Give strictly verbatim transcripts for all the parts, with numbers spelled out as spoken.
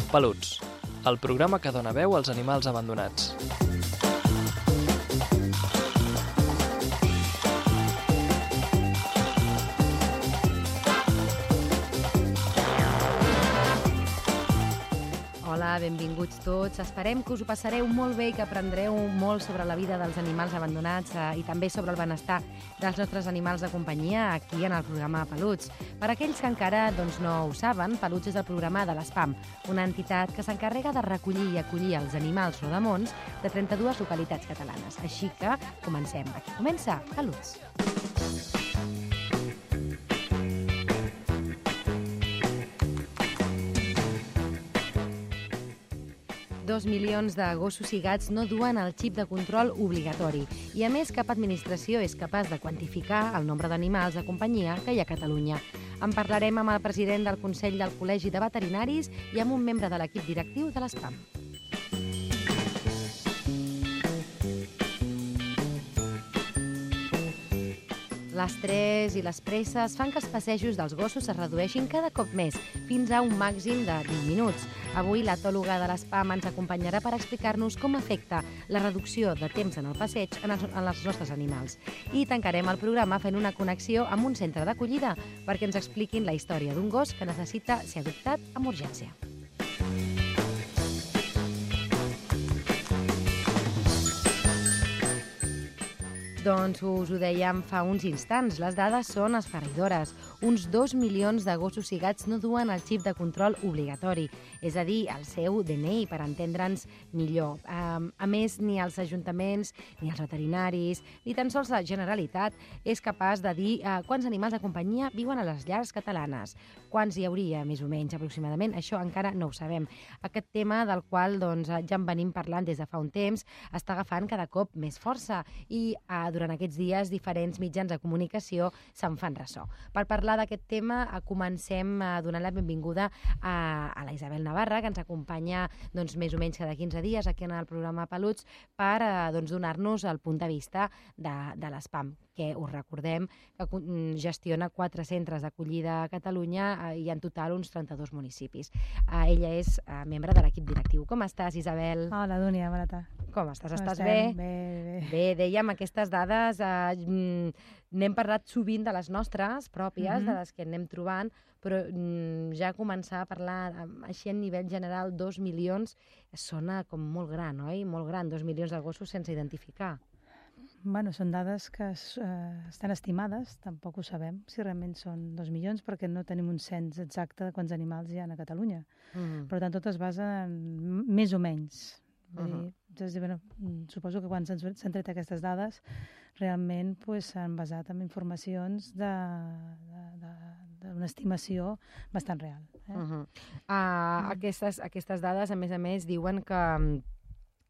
Peluts, el programa que dona veu als animals abandonats. Hola, benvinguts tots. Esperem que us ho passareu molt bé i que aprendreu molt sobre la vida dels animals abandonats eh, i també sobre el benestar dels nostres animals de companyia aquí en el programa Peluts. Per aquells que encara doncs, no ho saben, Peluts és el programa de l'ESPAM, una entitat que s'encarrega de recollir i acollir els animals rodamons de trenta-dues localitats catalanes. Així que comencem. Aquí comença Peluts. Dos milions de gossos i gats no duen el xip de control obligatori i, a més, cap administració és capaç de quantificar el nombre d'animals de companyia que hi ha a Catalunya. En parlarem amb el president del Consell del Col·legi de Veterinaris i amb un membre de l'equip directiu de l'ESPAM. L'estrès i les presses fan que els passejos dels gossos es redueixin cada cop més, fins a un màxim de vint minuts. Avui l'etòloga de l'ESPAM ens acompanyarà per explicar-nos com afecta la reducció de temps en el passeig en els, en els nostres animals. I tancarem el programa fent una connexió amb un centre d'acollida perquè ens expliquin la història d'un gos que necessita ser adoptat amb urgència. Doncs us ho dèiem fa uns instants, les dades són esfereïdores. Uns dos milions de gossos i gats no duen el xip de control obligatori, és a dir, el seu D N I, per entendre'ns millor. A més, ni els ajuntaments, ni els veterinaris, ni tan sols la Generalitat és capaç de dir quants animals de companyia viuen a les llars catalanes. Quants hi hauria, més o menys, aproximadament? Això encara no ho sabem. Aquest tema del qual doncs, ja en venim parlant des de fa un temps està agafant cada cop més força i eh, durant aquests dies diferents mitjans de comunicació se'n fan ressò. Per parlar d'aquest tema comencem donant la benvinguda a, a la Isabel Navarra, que ens acompanya doncs, més o menys cada quinze dies aquí en el programa Peluts per eh, doncs, donar-nos el punt de vista de, de l'ESPAM, que us recordem que gestiona quatre centres d'acollida a Catalunya eh, i en total uns trenta-dos municipis. Eh, ella és eh, membre de l'equip directiu. Com estàs, Isabel? Hola, Dúnia, bona tarda. Com estàs? Com estàs estem? bé? Bé, bé. Bé, dèiem, aquestes dades, eh, n'hem parlat sovint de les nostres pròpies, mm-hmm. de les que anem trobant, però mm, ja començar a parlar així a nivell general, dos milions, sona com molt gran, oi? Molt gran, dos milions de gossos sense identificar. Bueno, són dades que eh, estan estimades, tampoc ho sabem si realment són dos milions, perquè no tenim un cens exacte de quants animals hi ha a Catalunya. Mm-hmm. Per tant, tot es basa en més o menys. Vull dir, uh-huh. dir, bueno, suposo que quan s'han tret aquestes dades realment pues, s'han basat en informacions d'una estimació bastant real. Eh? Uh-huh. uh, uh. Aquestes, aquestes dades, a més a més, diuen que,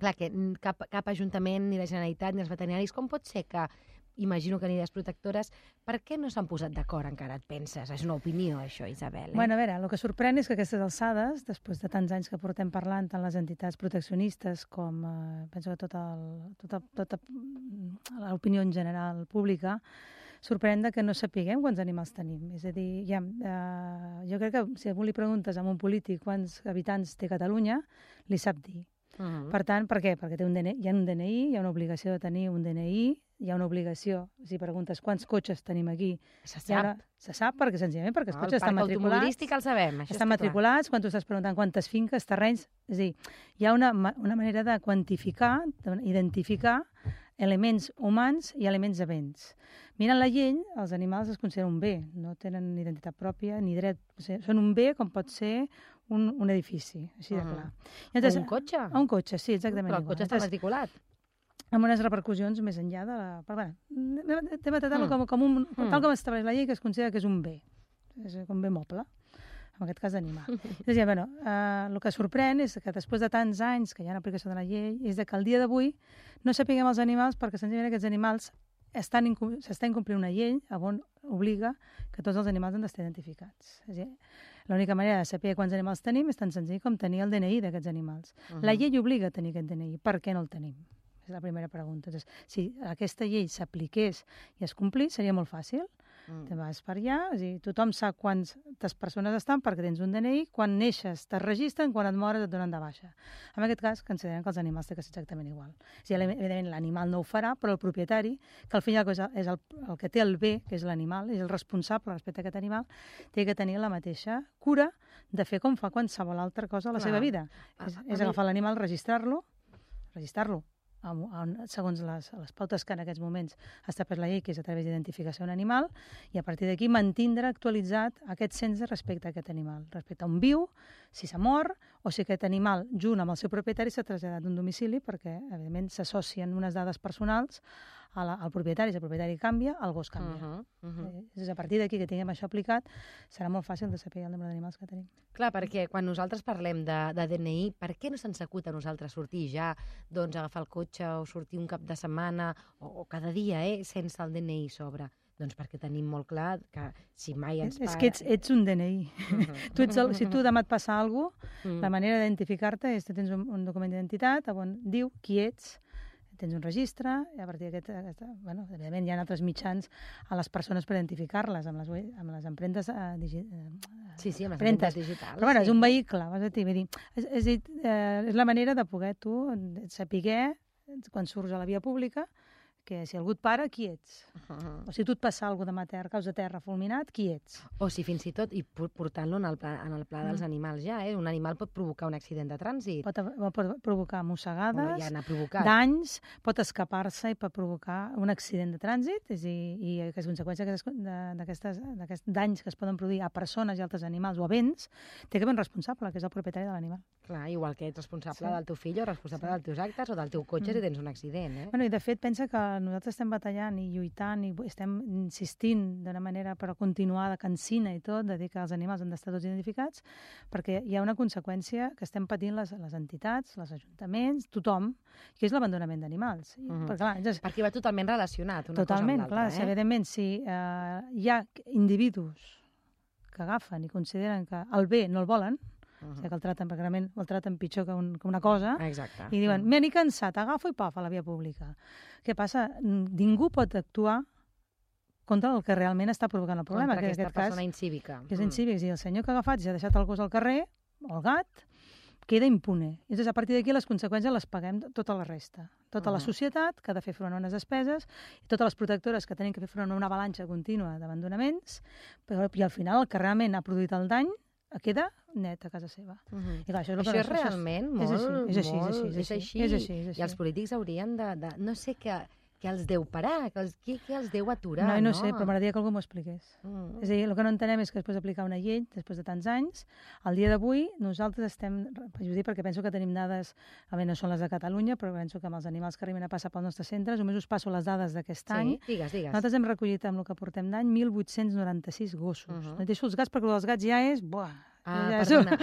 clar, que cap, cap ajuntament, ni la Generalitat, ni els veterinaris, com pot ser que, imagino que ni les protectores, per què no s'han posat d'acord encara, et penses? És una opinió, això, Isabel. Eh? Bueno, a veure, el que sorprèn és que aquestes alçades, després de tants anys que portem parlant, tant les entitats proteccionistes com, eh, penso que tota, el, tota, tota l'opinió en general pública, sorprèn que no sapiguem quants animals tenim. És a dir, ja, eh, jo crec que si a algú li preguntes a un polític quants habitants té Catalunya, li sap dir. Uh-huh. Per tant, per què? Perquè té un D N I, hi ha un D N I, hi ha una obligació de tenir un D N I, hi ha una obligació, si preguntes quants cotxes tenim aquí... Se sap. Una, se sap, perquè senzillament, perquè els no, cotxes estan matriculats... El parc automobilístic el sabem, això estan matriculats, quan tu estàs preguntant quantes finques, terrenys... És a dir, hi ha una, una manera de quantificar, d'identificar elements humans i elements de béns. Mirant la llei, els animals es consideren un bé, no tenen identitat pròpia ni dret. O sigui, són un bé com pot ser un, un edifici, així de clar. Uh-huh. Entonces, o un cotxe. O un cotxe, sí, exactament. Però el cotxe està matriculat. Amb unes repercussions més enllà de la... Però, bueno, hem de tractar-lo com, com un... Mm. Tal com estableix la llei, que es considera que és un bé. És un bé moble, en aquest cas d'animal. És a dir, bueno, eh, el que sorprèn és que després de tants anys que hi ha aplicació de la llei, és que al dia d'avui no sapiguem els animals perquè senzillament aquests animals s'està incomplint una llei on obliga que tots els animals han d'estar identificats. És a dir, l'única manera de saber quants animals tenim és tan senzill com tenir el D N I d'aquests animals. Uh-huh. La llei obliga a tenir aquest D N I. Per què no el tenim? És la primera pregunta. Entonces, si aquesta llei s'apliqués i es complís, seria molt fàcil. Mm. Te vas per allà, és a dir, tothom sap quantes persones estan perquè tens un D N I, quan neixes te'n registren, quan et mores et donen de baixa. En aquest cas, considerem que els animals té que ser exactament igual. O sigui, evidentment, l'animal no ho farà, però el propietari, que al final és el, el que té el bé, que és l'animal, és el responsable respecte a aquest animal, té que tenir la mateixa cura de fer com fa qualsevol altra cosa a la Clar. seva vida. A, és a és agafar mi... l'animal, registrar-lo, registrar-lo, segons les, les pautes que en aquests moments estableix la llei, que és a través d'identificació d'un animal, i a partir d'aquí mantindre actualitzat aquest cens respecte a aquest animal, respecte a on viu, si s'ha mort, o si aquest animal, junt amb el seu propietari, s'ha traslladat d'un domicili, perquè, evidentment, s'associen unes dades personals a la, al propietari. Si el propietari canvia, el gos canvia. Uh -huh, uh -huh. És a partir d'aquí que tinguem això aplicat, serà molt fàcil de saber el nombre d'animals que tenim. Clar, perquè quan nosaltres parlem de, de D N I, per què no se'ns acut a nosaltres sortir ja, doncs agafar el cotxe o sortir un cap de setmana o, o cada dia, eh, sense el D N I sobre? Doncs perquè tenim molt clar que si mai ens... És que ets, ets un D N I. Uh -huh. tu ets el, si tu demà et passa alguna cosa, uh -huh. la manera d'identificar-te és que tens un, un document d'identitat on diu qui ets, tens un registre, i a partir d'aquest... Bueno, evidentment hi ha altres mitjans a les persones per identificar-les, amb les, amb les empremtes eh, digi, eh, sí, sí, amb les empremtes digitals. Però bueno, sí. és un vehicle, vas a dir, vull dir, és, és, eh, és la manera de poder tu saber, quan surts a la via pública, que si algú et para, qui ets? Uh -huh. O si tu et passa alguna cosa demà a terra, caus de terra fulminat, qui ets? O si fins i tot, i portant-lo en el pla, en el pla dels mm. animals ja, eh? Un animal pot provocar un accident de trànsit. Pot, pot provocar mossegades, bueno, ja n'ha provocat. danys, pot escapar-se i pot provocar un accident de trànsit, és a dir, i les conseqüències d'aquests danys que es poden produir a persones i altres animals o a béns, té que haver un responsable, que és el propietari de l'animal. Clar, igual que ets responsable sí. del teu fill o responsable sí. dels teus actes o del teu cotxe mm. si tens un accident, eh? Bueno, i de fet, pensa que nosaltres estem batallant i lluitant i estem insistint d'una manera per continuar de cansina i tot, de dir que els animals han d'estar tots identificats, perquè hi ha una conseqüència que estem patint les, les entitats, els ajuntaments, tothom, que és l'abandonament d'animals. Uh -huh. perquè, clar, és... perquè va totalment relacionat una totalment, cosa amb l'altra. Clar, eh? Evidentment, si eh, hi ha individus que agafen i consideren que el bé no el volen, Uh -huh. o sigui que el traten, perquè realment el traten pitjor que, un, que una cosa, exacte. I diuen, m'he ni cansat, agafo i paf, a la via pública. Què passa? Ningú pot actuar contra el que realment està provocant el problema. Contra que aquesta aquest persona cas, incívica. Que és incívica. És a dir, el senyor que ha agafat i ha deixat el gos al carrer, o el gat, queda impune. I llavors, a partir d'aquí, les conseqüències les paguem tota la resta. Tota uh -huh. la societat, que ha de fer front a unes despeses, i totes les protectores que tenen que fer front a una avalanxa contínua d'abandonaments, però i al final el que realment ha produït el dany queda net a casa seva. Uh -huh. I clar, això és, això que és realment molt... És així, és així, molt, és així, és així. És així, és així. I els polítics haurien de... de no sé què, què els deu parar, què els, què, què els deu aturar, no? No, no sé, però m'agradaria que algú m'ho expliqués. Mm. És a dir, el que no entenem és que després d'aplicar una llei, després de tants anys, al dia d'avui nosaltres estem... Ho dic perquè penso que tenim dades, a veure, no són les de Catalunya, però penso que amb els animals que arriben a passar pels nostres centres, només us passo les dades d'aquest sí, any. digues, digues. Nosaltres hem recollit amb el que portem d'any mil vuit-cents noranta-sis gossos. Uh -huh. No deixo els gats perquè els gats ja és... Buah, Ah, ja perdona.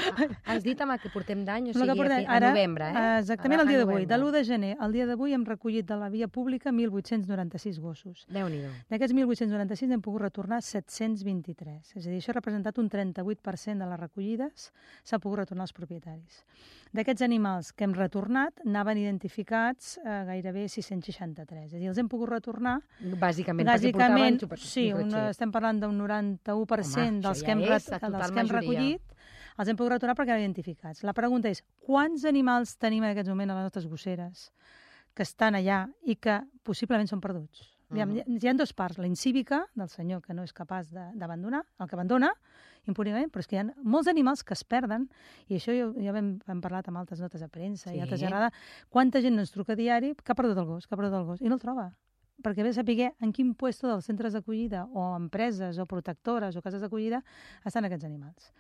Ah, has dit amb el que portem d'any, o sigui, portem, a, a novembre, eh? Exactament, el dia d'avui. De l'u de gener al dia d'avui hem recollit de la via pública mil vuit-cents noranta-sis gossos. Déu-n'hi-do. D'aquests mil vuit-cents noranta-sis hem pogut retornar set-cents vint-i-tres. És a dir, això ha representat un trenta-vuit per cent de les recollides s'ha pogut retornar als propietaris. D'aquests animals que hem retornat, anaven identificats eh, gairebé sis-cents seixanta-tres. És a dir, els hem pogut retornar... Bàsicament, bàsicament perquè portaven... Sí, una, estem parlant d'un noranta-u per cent dels que hem, dels que hem recollit. Els hem pogut retornar perquè eren identificats. La pregunta és, quants animals tenim en aquest moment a les nostres gosseres que estan allà i que possiblement són perduts? Uh -huh. Hi ha dues parts, la incívica, del senyor que no és capaç d'abandonar, el que abandona, impuniment, però és que hi ha molts animals que es perden, i això ja, ja hem, hem parlat amb altres notes de premsa sí. i altres gerades, quanta gent no ens truca a diari que ha perdut el gos, que ha perdut el gos, i no el troba. Perquè ve a saber en quin puesto dels centres d'acollida o empreses o protectores o cases d'acollida estan aquests animals.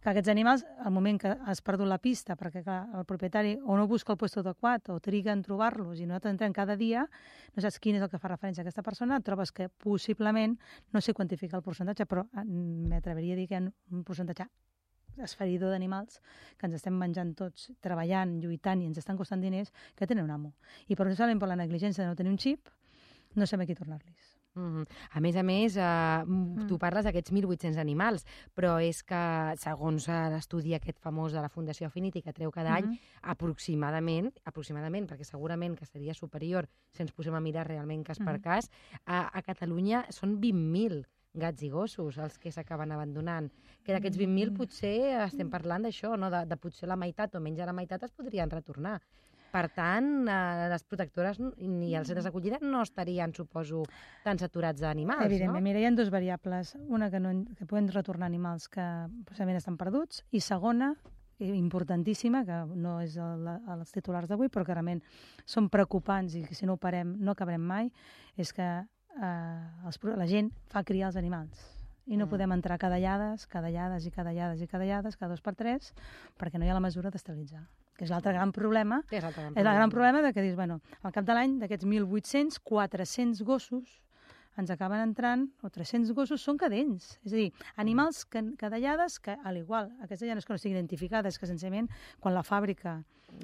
Que aquests animals, al moment que has perdut la pista, perquè clar, el propietari o no busca el puesto adequat o triga en trobar-los i nosaltres entrem cada dia, no saps quin és el que fa referència a aquesta persona, et trobes que possiblement, no sé quantificar el percentatge, però m'atreviria a dir que hi ha un percentatge esferidor d'animals que ens estem menjant tots, treballant, lluitant i ens estan costant diners, que tenen un amo. I per això, per la negligència de no tenir un xip, no sabem a qui tornar-los. Mm-hmm. A més a més, eh, mm. tu parles d'aquests mil vuit-cents animals, però és que, segons l'estudi aquest famós de la Fundació Affinity, que treu cada any, mm-hmm. aproximadament, aproximadament, perquè segurament que seria superior si ens posem a mirar realment cas mm-hmm. per cas, a, a Catalunya són vint mil gats i gossos els que s'acaben abandonant. Que d'aquests vint mil potser estem parlant d'això, no? de, de potser la meitat o menys de la meitat es podrien retornar. Per tant, eh, les protectores ni els centres d'acollida no estarien, suposo, tan saturats d'animals, Evidentment, no? mira, hi ha dues variables. Una, que, no, que poden retornar animals que possiblement estan perduts, i segona, importantíssima, que no és el, els titulars d'avui, però que realment són preocupants i que si no ho parem no acabarem mai, és que eh, els, la gent fa criar els animals. I no mm. podem entrar cadellades, cadellades i cadellades i cadellades, cada dos per tres, perquè no hi ha la mesura d'esterilitzar. Que és l'altre gran problema. Que és l'altre gran problema. És el gran problema de que dius, bueno, al cap de l'any, d'aquests mil vuit-cents, quatre-cents gossos ens acaben entrant, o tres-cents gossos, són cadells. És a dir, animals cadellades que, al igual, aquestes ja no és que no estiguin identificades, que senzillament, quan la fàbrica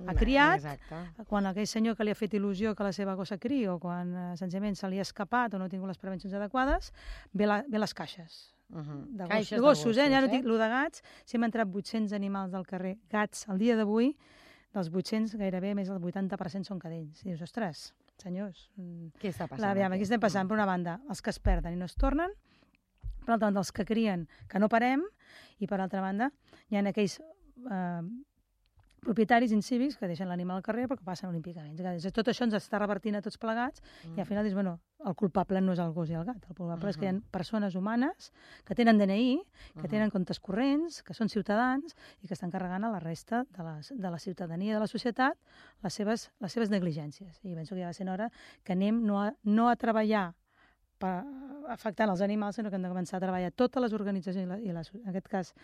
ha criat, Exacte. Quan aquell senyor que li ha fet il·lusió que la seva gossa cri, o quan eh, senzillament se li ha escapat o no ha tingut les prevencions adequades, ve, la, ve les caixes. Uh -huh. De, gos, Caixes de gossos, de gossos, eh? Ja no eh? dic lo de gats, si hem entrat vuit-cents animals del carrer, gats, al dia d'avui, dels vuit-cents gairebé més del vuitanta per cent són cadells. I dius, ostres, senyors... Què està passant? La, aviam, aquí estem passant, per una banda, els que es perden i no es tornen, per altra banda, els que crien, que no parem, i per altra banda, hi ha aquells eh, propietaris incívics que deixen l'animal al carrer perquè passen olímpicament. Tot això ens està revertint a tots plegats mm. i al final dius, bueno, el culpable no és el gos i el gat, el culpable uh -huh. és que hi ha persones humanes que tenen D N I, que uh -huh. tenen comptes corrents, que són ciutadans i que estan carregant a la resta de la, de la ciutadania de la societat les seves, les seves negligències. I penso que ja va ser hora que anem no a, no a treballar per, afectant els animals, sinó que hem de començar a treballar totes les organitzacions, i, la, i les, en aquest cas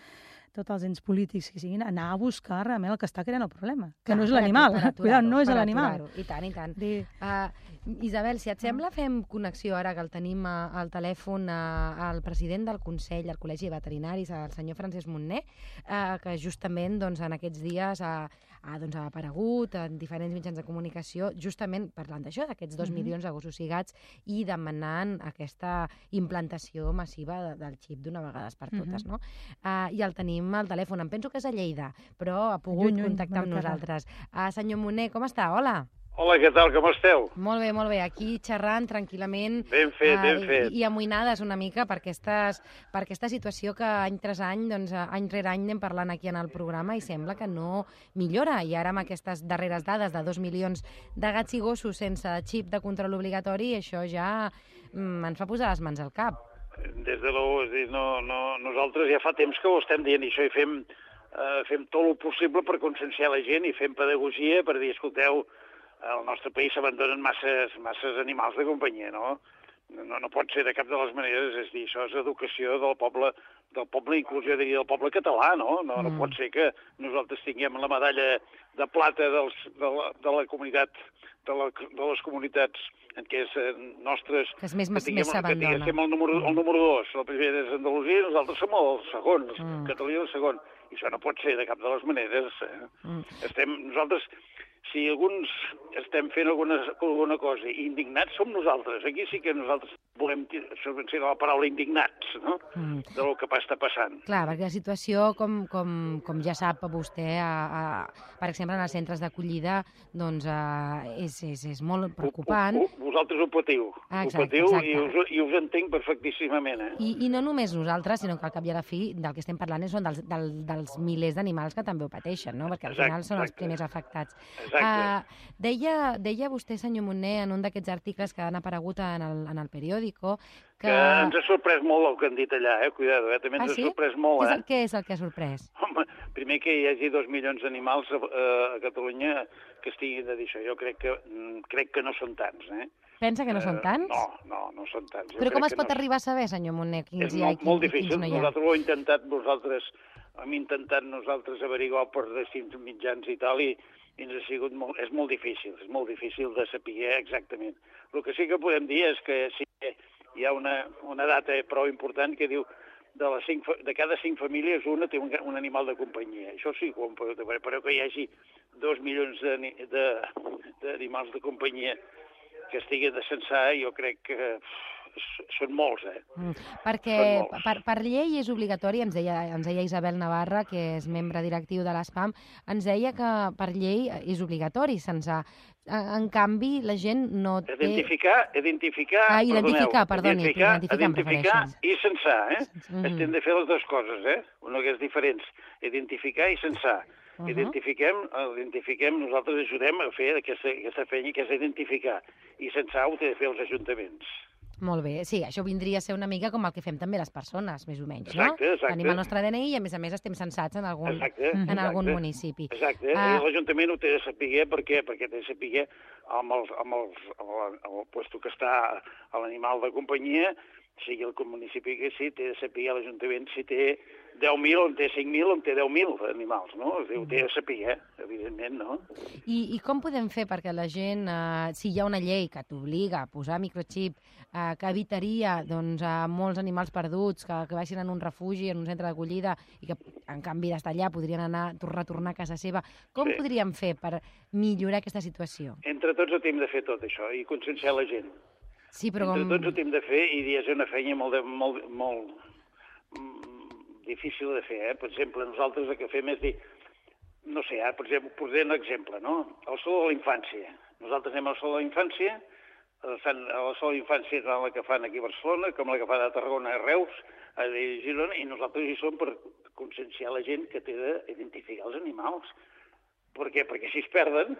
tots els ens polítics que siguin, anar a buscar realment el que està creant el problema, que Clar, no és l'animal. Cuidado, no és l'animal. I tant, i tant. Dir... Uh, Isabel, si et sembla, fem connexió ara que el tenim a, al telèfon a, al president del Consell, al Col·legi de Veterinaris, el senyor Francesc Montner, uh, que justament doncs, en aquests dies ha, ha, doncs, ha aparegut en diferents mitjans de comunicació, justament parlant d'això, d'aquests dos mm -hmm. milions de gossos i gats, i demanant aquesta implantació massiva de, del xip d'una vegada per totes, mm -hmm. no? Uh, I el tenim al telèfon, em penso que és a Lleida, però ha pogut lluny, lluny, contactar amb nosaltres. Uh, senyor Montner, com està? Hola. Hola, què tal, com esteu? Molt bé, molt bé. Aquí xerrant tranquil·lament. Ben fet, uh, ben fet. I, i amoïnades una mica per, aquestes, per aquesta situació que any tras any, doncs, any rere any anem parlant aquí en el programa i sembla que no millora. I ara amb aquestes darreres dades de dos milions de gats i gossos sense xip de control obligatori, això ja mm, ens fa posar les mans al cap. Des de l'u, és dir, no, no, nosaltres ja fa temps que ho estem dient i això i fem, eh, fem tot el possible per conscienciar la gent i fem pedagogia per dir, escolteu, al nostre país s'abandonen masses, masses animals de companyia, no? no? No pot ser de cap de les maneres, és dir, això és educació del poble, del poble, inclús jo diria del poble català, no? No, mm. no pot ser que nosaltres tinguem la medalla de plata dels, de, la, de la comunitat, de, la, de les comunitats en què és eh, nostres... Que és més, que tinguem, més s'abandona. Que tinguem el número, el número dos, el primer és Andalusia i nosaltres som els segons, mm. Catalunya el segon. I això no pot ser de cap de les maneres. Eh? Mm. Estem, nosaltres... Si alguns estem fent alguna, alguna cosa indignats, som nosaltres. Aquí sí que nosaltres volem ser la paraula indignats, no? Mm. Del que està passant. Clar, perquè la situació, com, com, com ja sap vostè, a, a, per exemple, en els centres d'acollida, doncs a, és, és, és molt preocupant. Ho, ho, vosaltres ho patiu. Exacte, ho patiu exacte. I, us, i us entenc perfectíssimament. Eh? I, I no només nosaltres, sinó que al cap i a la fi del que estem parlant són dels, del, dels milers d'animals que també ho pateixen, no? Perquè al exacte, final són exacte. els primers afectats. Exacte. Uh, deia, deia vostè, senyor Montner, en un d'aquests articles que han aparegut en el, en el periòdico, que... que ens ha sorprès molt el que han dit allà, eh? Cuidado, eh? També ens ah, sí? ha sorprès molt, què és, eh? el, què és el que ha sorprès? Home, primer que hi hagi dos milions d'animals a, a Catalunya que estiguin de dir això. Jo crec que, crec que no són tants, eh? Pensa que no són tants? Uh, no, no, no són tants. Jo Però com es pot no... arribar a saber, senyor Montner, quins hi ha i quins, molt difícil. quins no hi ha? Nosaltres ho hem intentat, vosaltres, hem intentat nosaltres averiguar per distints mitjans i tal, i i ens ha sigut molt, és molt difícil, és molt difícil de saber exactament. El que sí que podem dir és que sí que hi ha una, una data prou important que diu de, les cinc, de cada cinc famílies una té un, un animal de companyia. Això sí que ho hem pogut veure, però que hi hagi dos milions d'animals de, de, de companyia que estigui de censar, jo crec que són molts, eh? Mm. Perquè molts. per, per llei és obligatori, ens deia, ens deia Isabel Navarra, que és membre directiu de l'ESPAM, ens deia que per llei és obligatori, sense... En canvi, la gent no té... Identificar, identificar... Ah, identificar, perdoneu, perdoni, identificar, identificar, identificar i censar, eh? Mm-hmm. Estem de fer les dues coses, eh? Una que és diferent, identificar i censar. Uh-huh. Identifiquem, identifiquem, nosaltres ajudem a fer aquesta, aquesta feina que és identificar. I censar ho té de fer els ajuntaments. Molt bé, sí, això vindria a ser una mica com el que fem també les persones, més o menys, exacte, no? Exacte. Tenim el nostre D N I i, a més a més, estem censats en algun, exacte, en exacte. algun municipi. Exacte, uh, l'Ajuntament ho té de saber, per què? Perquè té de saber amb, els, amb, els, amb, el, amb el puesto que està a l'animal de companyia, sigui el municipi que sí, té de saber l'Ajuntament si té deu mil, on té cinc mil, on té deu mil animals, no? Ho té de saber, eh? Evidentment, no? I, I com podem fer perquè la gent, eh, si hi ha una llei que t'obliga a posar microxip, eh, que evitaria doncs, a molts animals perduts que, que vagin en un refugi, en un centre d'acollida, i que, en canvi, d'estar allà podrien anar, retornar a casa seva, com sí. podríem fer per millorar aquesta situació? Entre tots ho hem de fer tot això, i conscienciar la gent. Sí, però Entre com... tots ho hem de fer, i és una feina molt, de, molt, molt difícil de fer, eh? Per exemple, nosaltres el que fem és dir, no sé, ara, per exemple, posem un exemple, no? El Sol de la Infància. Nosaltres anem al Sol de la Infància, a la Sol de la Infància és la que fan aquí a Barcelona, com la que fan a Tarragona, a Reus, a Girona, i nosaltres hi som per conscienciar la gent que té d'identificar els animals. Per què? Perquè si es perden,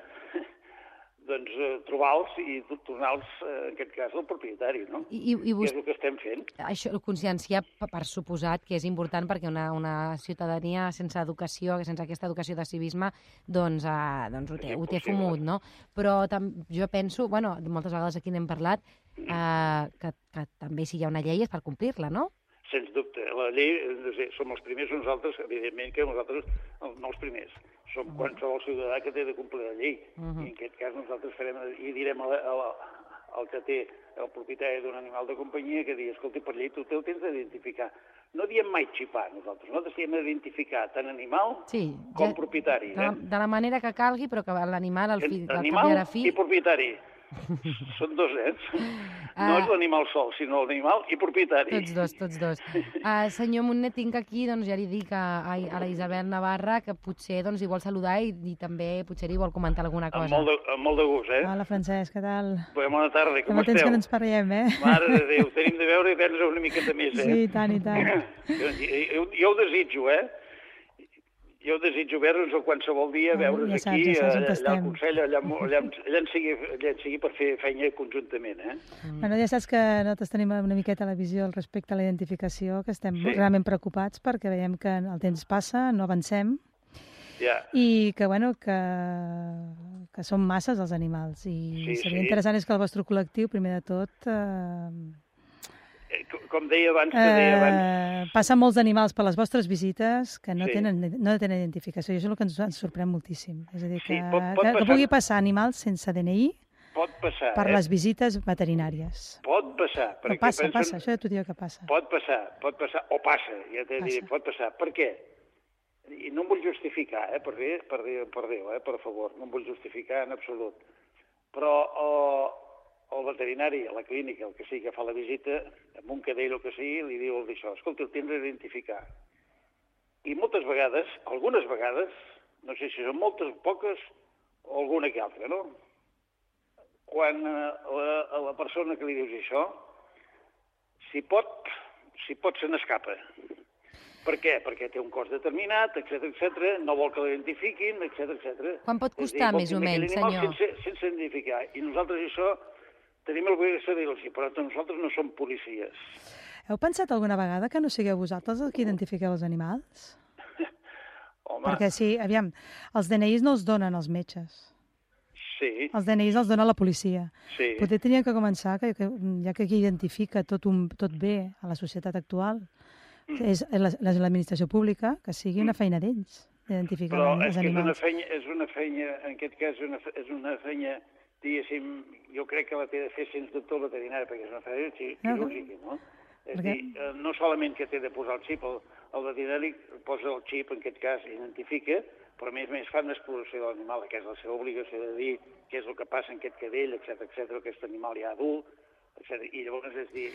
doncs eh, trobar-los i tornar-los, eh, en aquest cas, al propietari, no? I, i, i vos... Que és el que estem fent. Això, conscienciar, per suposat, que és important perquè una, una ciutadania sense educació, sense aquesta educació de civisme, doncs, eh, doncs ho, té, ho té fumut, no? Però tam, jo penso, bueno, moltes vegades aquí n'hem parlat, eh, que, que també si hi ha una llei és per complir-la, no? Sens dubte. La llei, no sé, som els primers nosaltres, evidentment que nosaltres no els primers. Som uh-huh. qualsevol ciutadà que té de complir la llei. Uh-huh. I en aquest cas nosaltres farem i direm a la, a la, al que té el propietari d'un animal de companyia que digui, escolta, per llei tu el tens d'identificar. No diem mai xipar, nosaltres. Nosaltres diem d'identificar tant animal sí, com ja, propietari. De la, eh? de la manera que calgui, però que l'animal, al fi, animal al fi... i propietari. Són dos, eh? No és l'animal sol, sinó l'animal i propietari. Tots dos, tots dos. Uh, senyor Montner, tinc aquí, doncs ja li dic a, a, a la Isabel Navarra que potser doncs, hi vol saludar i, i també potser hi vol comentar alguna cosa. Amb molt de, amb molt de gust, eh? Hola, Francesc, què tal? Bona tarda, com esteu? Fa temps que no ens parlem, eh? Mare de Déu, tenim de veure i prendre una miqueta més, eh? Sí, i tant, i tant. Jo, jo, jo ho desitjo, eh? Jo desitjo veure'ns qualsevol dia, oh, veure'ns ja saps, aquí, ja saps allà, allà al Consell, allà, allà, allà, en sigui, allà en sigui per fer feina conjuntament, eh? Mm. Bueno, ja saps que nosaltres tenim una miqueta la visió al respecte a la identificació, que estem sí. realment preocupats perquè veiem que el temps passa, no avancem, ja. i que, bueno, que, que són masses els animals, i sí, seria sí. interessant és que el vostre col·lectiu, primer de tot... Eh, Com deia abans, que deia abans... Eh, passen molts animals per les vostres visites que no, sí. tenen, no tenen identificació, i això és el que ens, ens sorprèn moltíssim. És a dir, que, sí, pot, pot que, passar... que pugui passar animals sense D N I pot passar, per eh? les visites veterinàries. Pot passar. Però passa, pensen... passa, això ja t'ho diu que passa. Pot passar, pot passar, o passa, ja t'he dit, pot passar. Per què? I no em vull justificar, eh, per, dir, per, dir, per Déu, eh, per favor, no em vull justificar en absolut. Però... Oh, el veterinari a la clínica, el que sigui que fa la visita, amb un cadell o que sigui, li diu el d'això, escolta, el tens d'identificar. I moltes vegades, algunes vegades, no sé si són moltes o poques, o alguna que altra, no? Quan a la, a la persona que li dius això, si pot, si pot se n'escapa. Per què? Perquè té un cost determinat, etcètera, etcètera, no vol que l'identifiquin, etcètera, etcètera. Quan pot costar, dir, més o menys, senyor? Sense, sense identificar. I nosaltres això... Tenim l'obligació de dir-los, però nosaltres no som policies. Heu pensat alguna vegada que no sigueu vosaltres els que identifiqueu els animals? Home... Perquè sí, aviam, els D N Is no els donen els metges. Sí. Els D N Is els dona la policia. Sí. Potser tenien que començar, que, que, ja que qui identifica tot, un, tot bé a la societat actual, mm. és l'administració pública, que sigui una feina d'ells, d'identificar els animals. Però és que és una feina, és una feina, en aquest cas, una, és una feina... diguéssim, jo crec que la té de fer sens dubte el veterinari, perquè és una feina quirúrgica, no? És dir, no solament que té de posar el xip, el, el veterinari posa el xip, en aquest cas, identifica, però a més a més fa una exploració de l'animal, que és la seva obligació de dir què és el que passa en aquest cadell, etcètera, etcètera, aquest animal ja adult, etcètera. I llavors, és dir,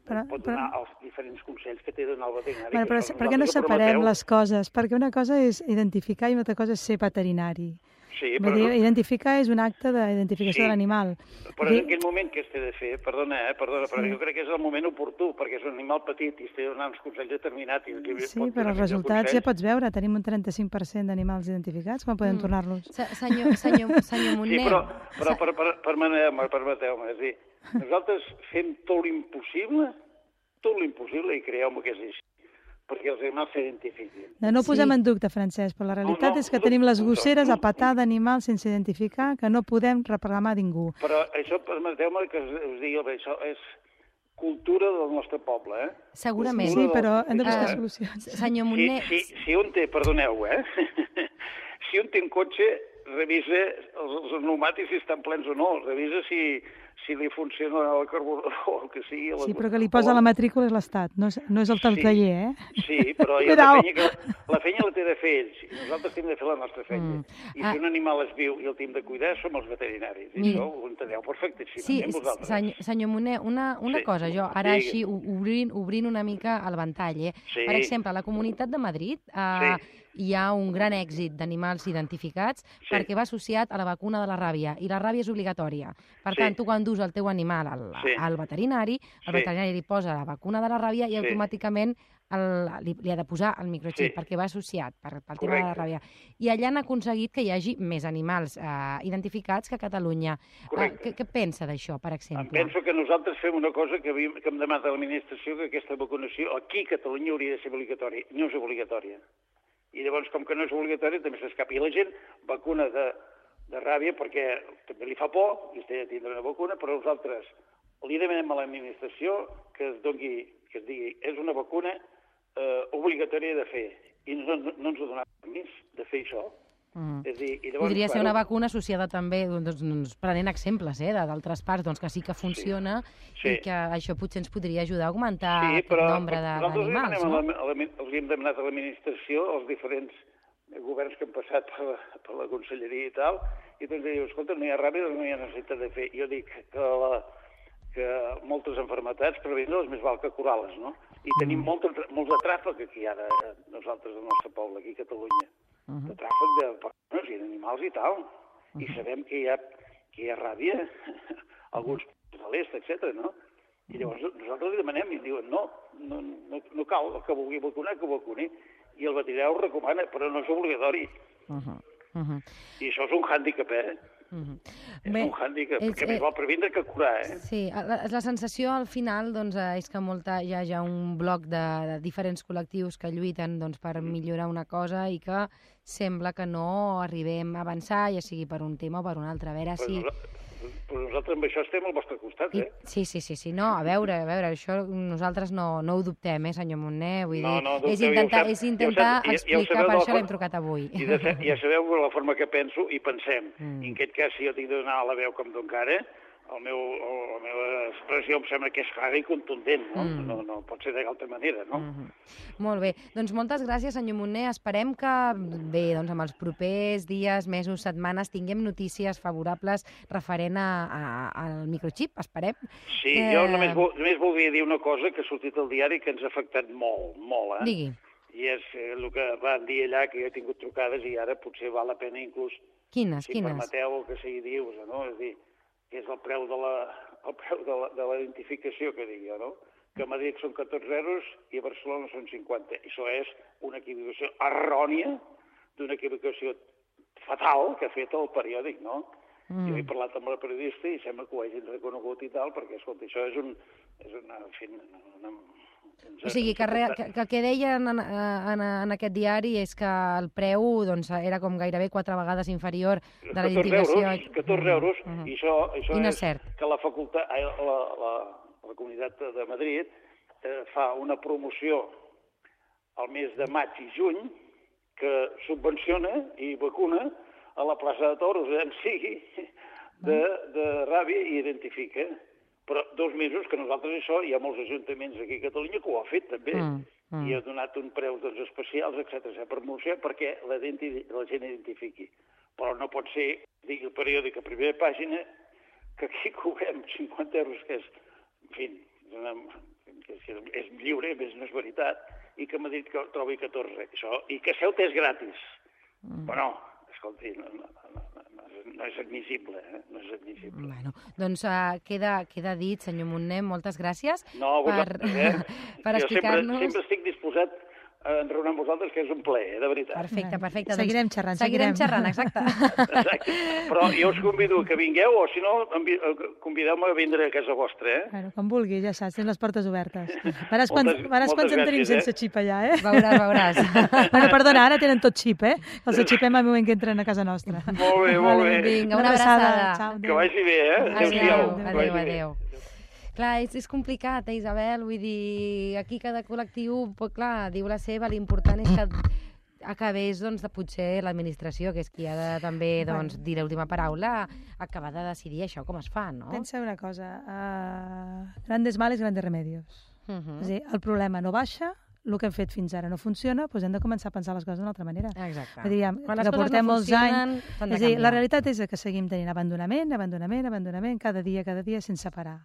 però, pot però... donar els diferents consells que té de donar el veterinari. Bueno, però per què no separem les coses? Perquè una cosa és identificar i una altra cosa és ser veterinari. Sí, però... dir, identificar és un acte d'identificació sí, de l'animal. Però en aquell moment que es té de fer, perdona, eh, perdona, sí. però jo crec que és el moment oportú, perquè és un animal petit i es té de donar uns consells determinats. I sí, però els resultats consells... ja pots veure, tenim un trenta-cinc per cent d'animals identificats, com podem mm. tornar-los? Senyor, senyor, senyor Montner... Sí, però, però per, per, permeteu-me, permeteu-me, és dir, nosaltres fem tot l'impossible, tot l'impossible, i creieu-me que és així, perquè els animals s'identifiquin. No, no ho posem sí. en dubte, Francesc, però la realitat no, no, és que no, tenim les gosseres no, no, a patar d'animals sense identificar, que no podem reclamar a ningú. Però això, permeteu-me que us, us digui, bé, això és cultura del nostre poble, eh? Segurament. Sí, però hem de buscar uh, solucions. Senyor Montner... Si, si, si un té, perdoneu, eh? si un té un cotxe, revisa els, els pneumàtics si estan plens o no, revisa si, si li funciona el carburador o el que sigui. Sí, però que li posa la matrícula és l'Estat, no, és, no és el sí, taller, eh? Sí, però ja la, fenya que, la fenya la té de fer ells, nosaltres hem de fer la nostra fenya. Mm. I si ah. un animal es viu i el tenim de cuidar, som els veterinaris, i Mira. Això ho enteneu perfecte, si sí, vosaltres. Senyor, senyor Montner, una, una sí. cosa, jo ara sí. així obrint, obrint una mica el ventall, eh? Sí. Per exemple, a la Comunitat de Madrid... Eh, sí. hi ha un gran èxit d'animals identificats sí. perquè va associat a la vacuna de la ràbia, i la ràbia és obligatòria. Per sí. tant, tu quan dus el teu animal al, sí. al veterinari, el sí. veterinari li posa la vacuna de la ràbia i sí. automàticament el, li, li ha de posar el microxip, sí. perquè va associat per, pel tema de la ràbia. I allà han aconseguit que hi hagi més animals eh, identificats que a Catalunya. Eh, què, què pensa d'això, per exemple? Em penso que nosaltres fem una cosa que, havíem, que hem demanat a l'administració, que aquesta vacunació aquí a Catalunya hauria de ser obligatòria. No és obligatòria. I llavors, com que no és obligatori, també s'escapi la gent, vacuna de, de ràbia, perquè també li fa por, i es té de tindre una vacuna, però nosaltres li demanem a l'administració que es doni, que es digui, és una vacuna eh, obligatòria de fer, i no, no, no ens ho donarà permís de fer això. Mm. És dir, i llavors, podria ser una vacuna associada també, doncs, doncs, prenent exemples eh, d'altres parts doncs, que sí que funciona sí. Sí. i que això potser ens podria ajudar a augmentar sí, el nombre d'animals. No? Els hem demanat a l'administració, els diferents governs que han passat per la, per la conselleria i tal, i doncs diu, escolta, no hi ha ràbia, no hi ha necessitat de fer. Jo dic que, la, que moltes malalties previndre-les més val que curar-les, no? I tenim mm. molt, molts de tràfic aquí ara, nosaltres, al nostre poble, aquí a Catalunya. Uh -huh. de tràfic de persones i d'animals i tal. Uh -huh. I sabem que hi ha, que hi ha ràbia, alguns de l'est, etcètera, no? I llavors nosaltres li demanem i diuen no, no, no, no cal, el que vulgui vacunar, que vacuni. I el veterinari ho recomana, però no és obligatori. Uh -huh. Uh -huh. I això és un hàndicap, eh? Uh -huh. És Bé, un hàndicap, és, perquè més val previndre que curar, eh? Sí, la, la sensació al final doncs, és que molta, hi ha ja un bloc de, de diferents col·lectius que lluiten doncs, per millorar una cosa i que sembla que no arribem a avançar, ja sigui per un tema o per un altre. A veure si... Però nosaltres amb això estem al vostre costat, eh? I, sí, sí, sí, sí, no, a veure, a veure, això nosaltres no, no ho dubtem, eh, senyor Montner, vull no, dir, no, és intentar, ja és intentar ja, explicar, ja per això l'hem trucat avui. I de, ja sabeu la forma que penso i pensem, mm. i en aquest cas si jo tinc de donar la veu com Don Cara, el meu, la meva expressió em sembla que és clara i contundent, no? Mm. No, no pot ser d'altra manera, no? Mm -hmm. Molt bé, doncs moltes gràcies, senyor Montner. Esperem que, bé, doncs amb els propers dies, mesos, setmanes, tinguem notícies favorables referent a, a, al microxip, esperem. Sí, eh... jo només, vol, només voldria dir una cosa que ha sortit al diari que ens ha afectat molt, molt, eh? Digui. I és el que van dir allà, que jo he tingut trucades i ara potser val la pena inclús... Quines, si quines? Si permeteu el que sigui dius, no? És dir, que és el preu de la, el preu de la, de la identificació, que dic jo, no? Que a Madrid són catorze euros i a Barcelona són cinquanta. I això és una equivocació errònia, d'una equivocació fatal que ha fet el periòdic, no? Mm. Jo he parlat amb la periodista i sembla que ho hagin reconegut i tal, perquè, escolta, això és un... És una, en fi, una, o sigui, que, re, que, que el que deien en, en, en aquest diari és que el preu doncs, era com gairebé quatre vegades inferior de la identificació. catorze euros, uh -huh. i això, això I no és, és cert. Que la facultat, la, la, la Comunitat de Madrid eh, fa una promoció al mes de maig i juny que subvenciona i vacuna a la plaça de Toros, en sigui, de, de ràbia i identifica. Però dos mesos que nosaltres això, hi ha molts ajuntaments aquí a Catalunya que ho ha fet també, mm, mm. i ha donat un preu doncs, especials, etcètera, per promocionar perquè la, la gent identifiqui. Però no pot ser, digui el periòdic a primera pàgina, que aquí cobrem cinquanta euros, que és fi, una, que és lliure, més no és veritat, i que m'ha dit que trobi catorze, això, i que Ceuta és gratis. Mm. Però no, escolti, no, no, no, no, no és admissible, eh? No és admissible. Bueno, doncs uh, queda, queda dit, senyor Montner, moltes gràcies no, per, eh? per explicar-nos... Jo sempre, sempre estic disposat a enraonar amb vosaltres, que és un plaer, de veritat. Perfecte, perfecte. Seguirem doncs, xerrant, seguirem. seguirem xerrant, exacte. Exacte. Però jo us convido que vingueu, o si no, convideu-me a vindre a casa vostra, eh? Bueno, com vulgui, ja saps, tens les portes obertes. Veràs quants, moltes, veràs quants en tenim gràcies, sense eh? xip allà, eh? Veuràs, veuràs. Bueno, perdona, ara tenen tot xip, eh? Els xipem al moment que entren a casa nostra. Molt bé, molt bé. Vinga, una abraçada. Ciao, que vagi bé, eh? Adéu, adéu, adéu. Clar, és, és complicat, eh, Isabel? Vull dir, aquí cada col·lectiu, pues, clar, diu la seva, l'important és que acabés, doncs, de potser l'administració, que és qui ha de també, doncs, dir l'última paraula, acabar de decidir això com es fa, no? Pensa una cosa, uh, grandes males, grandes remedios. Uh -huh. És a dir, el problema no baixa, el que hem fet fins ara no funciona, doncs hem de començar a pensar les coses d'una altra manera. Exacte. Vull dir, Quan que les coses portem no molts funcionen, anys... s'han de És a dir, canviar. la realitat és que seguim tenint abandonament, abandonament, abandonament, cada dia, cada dia, sense parar.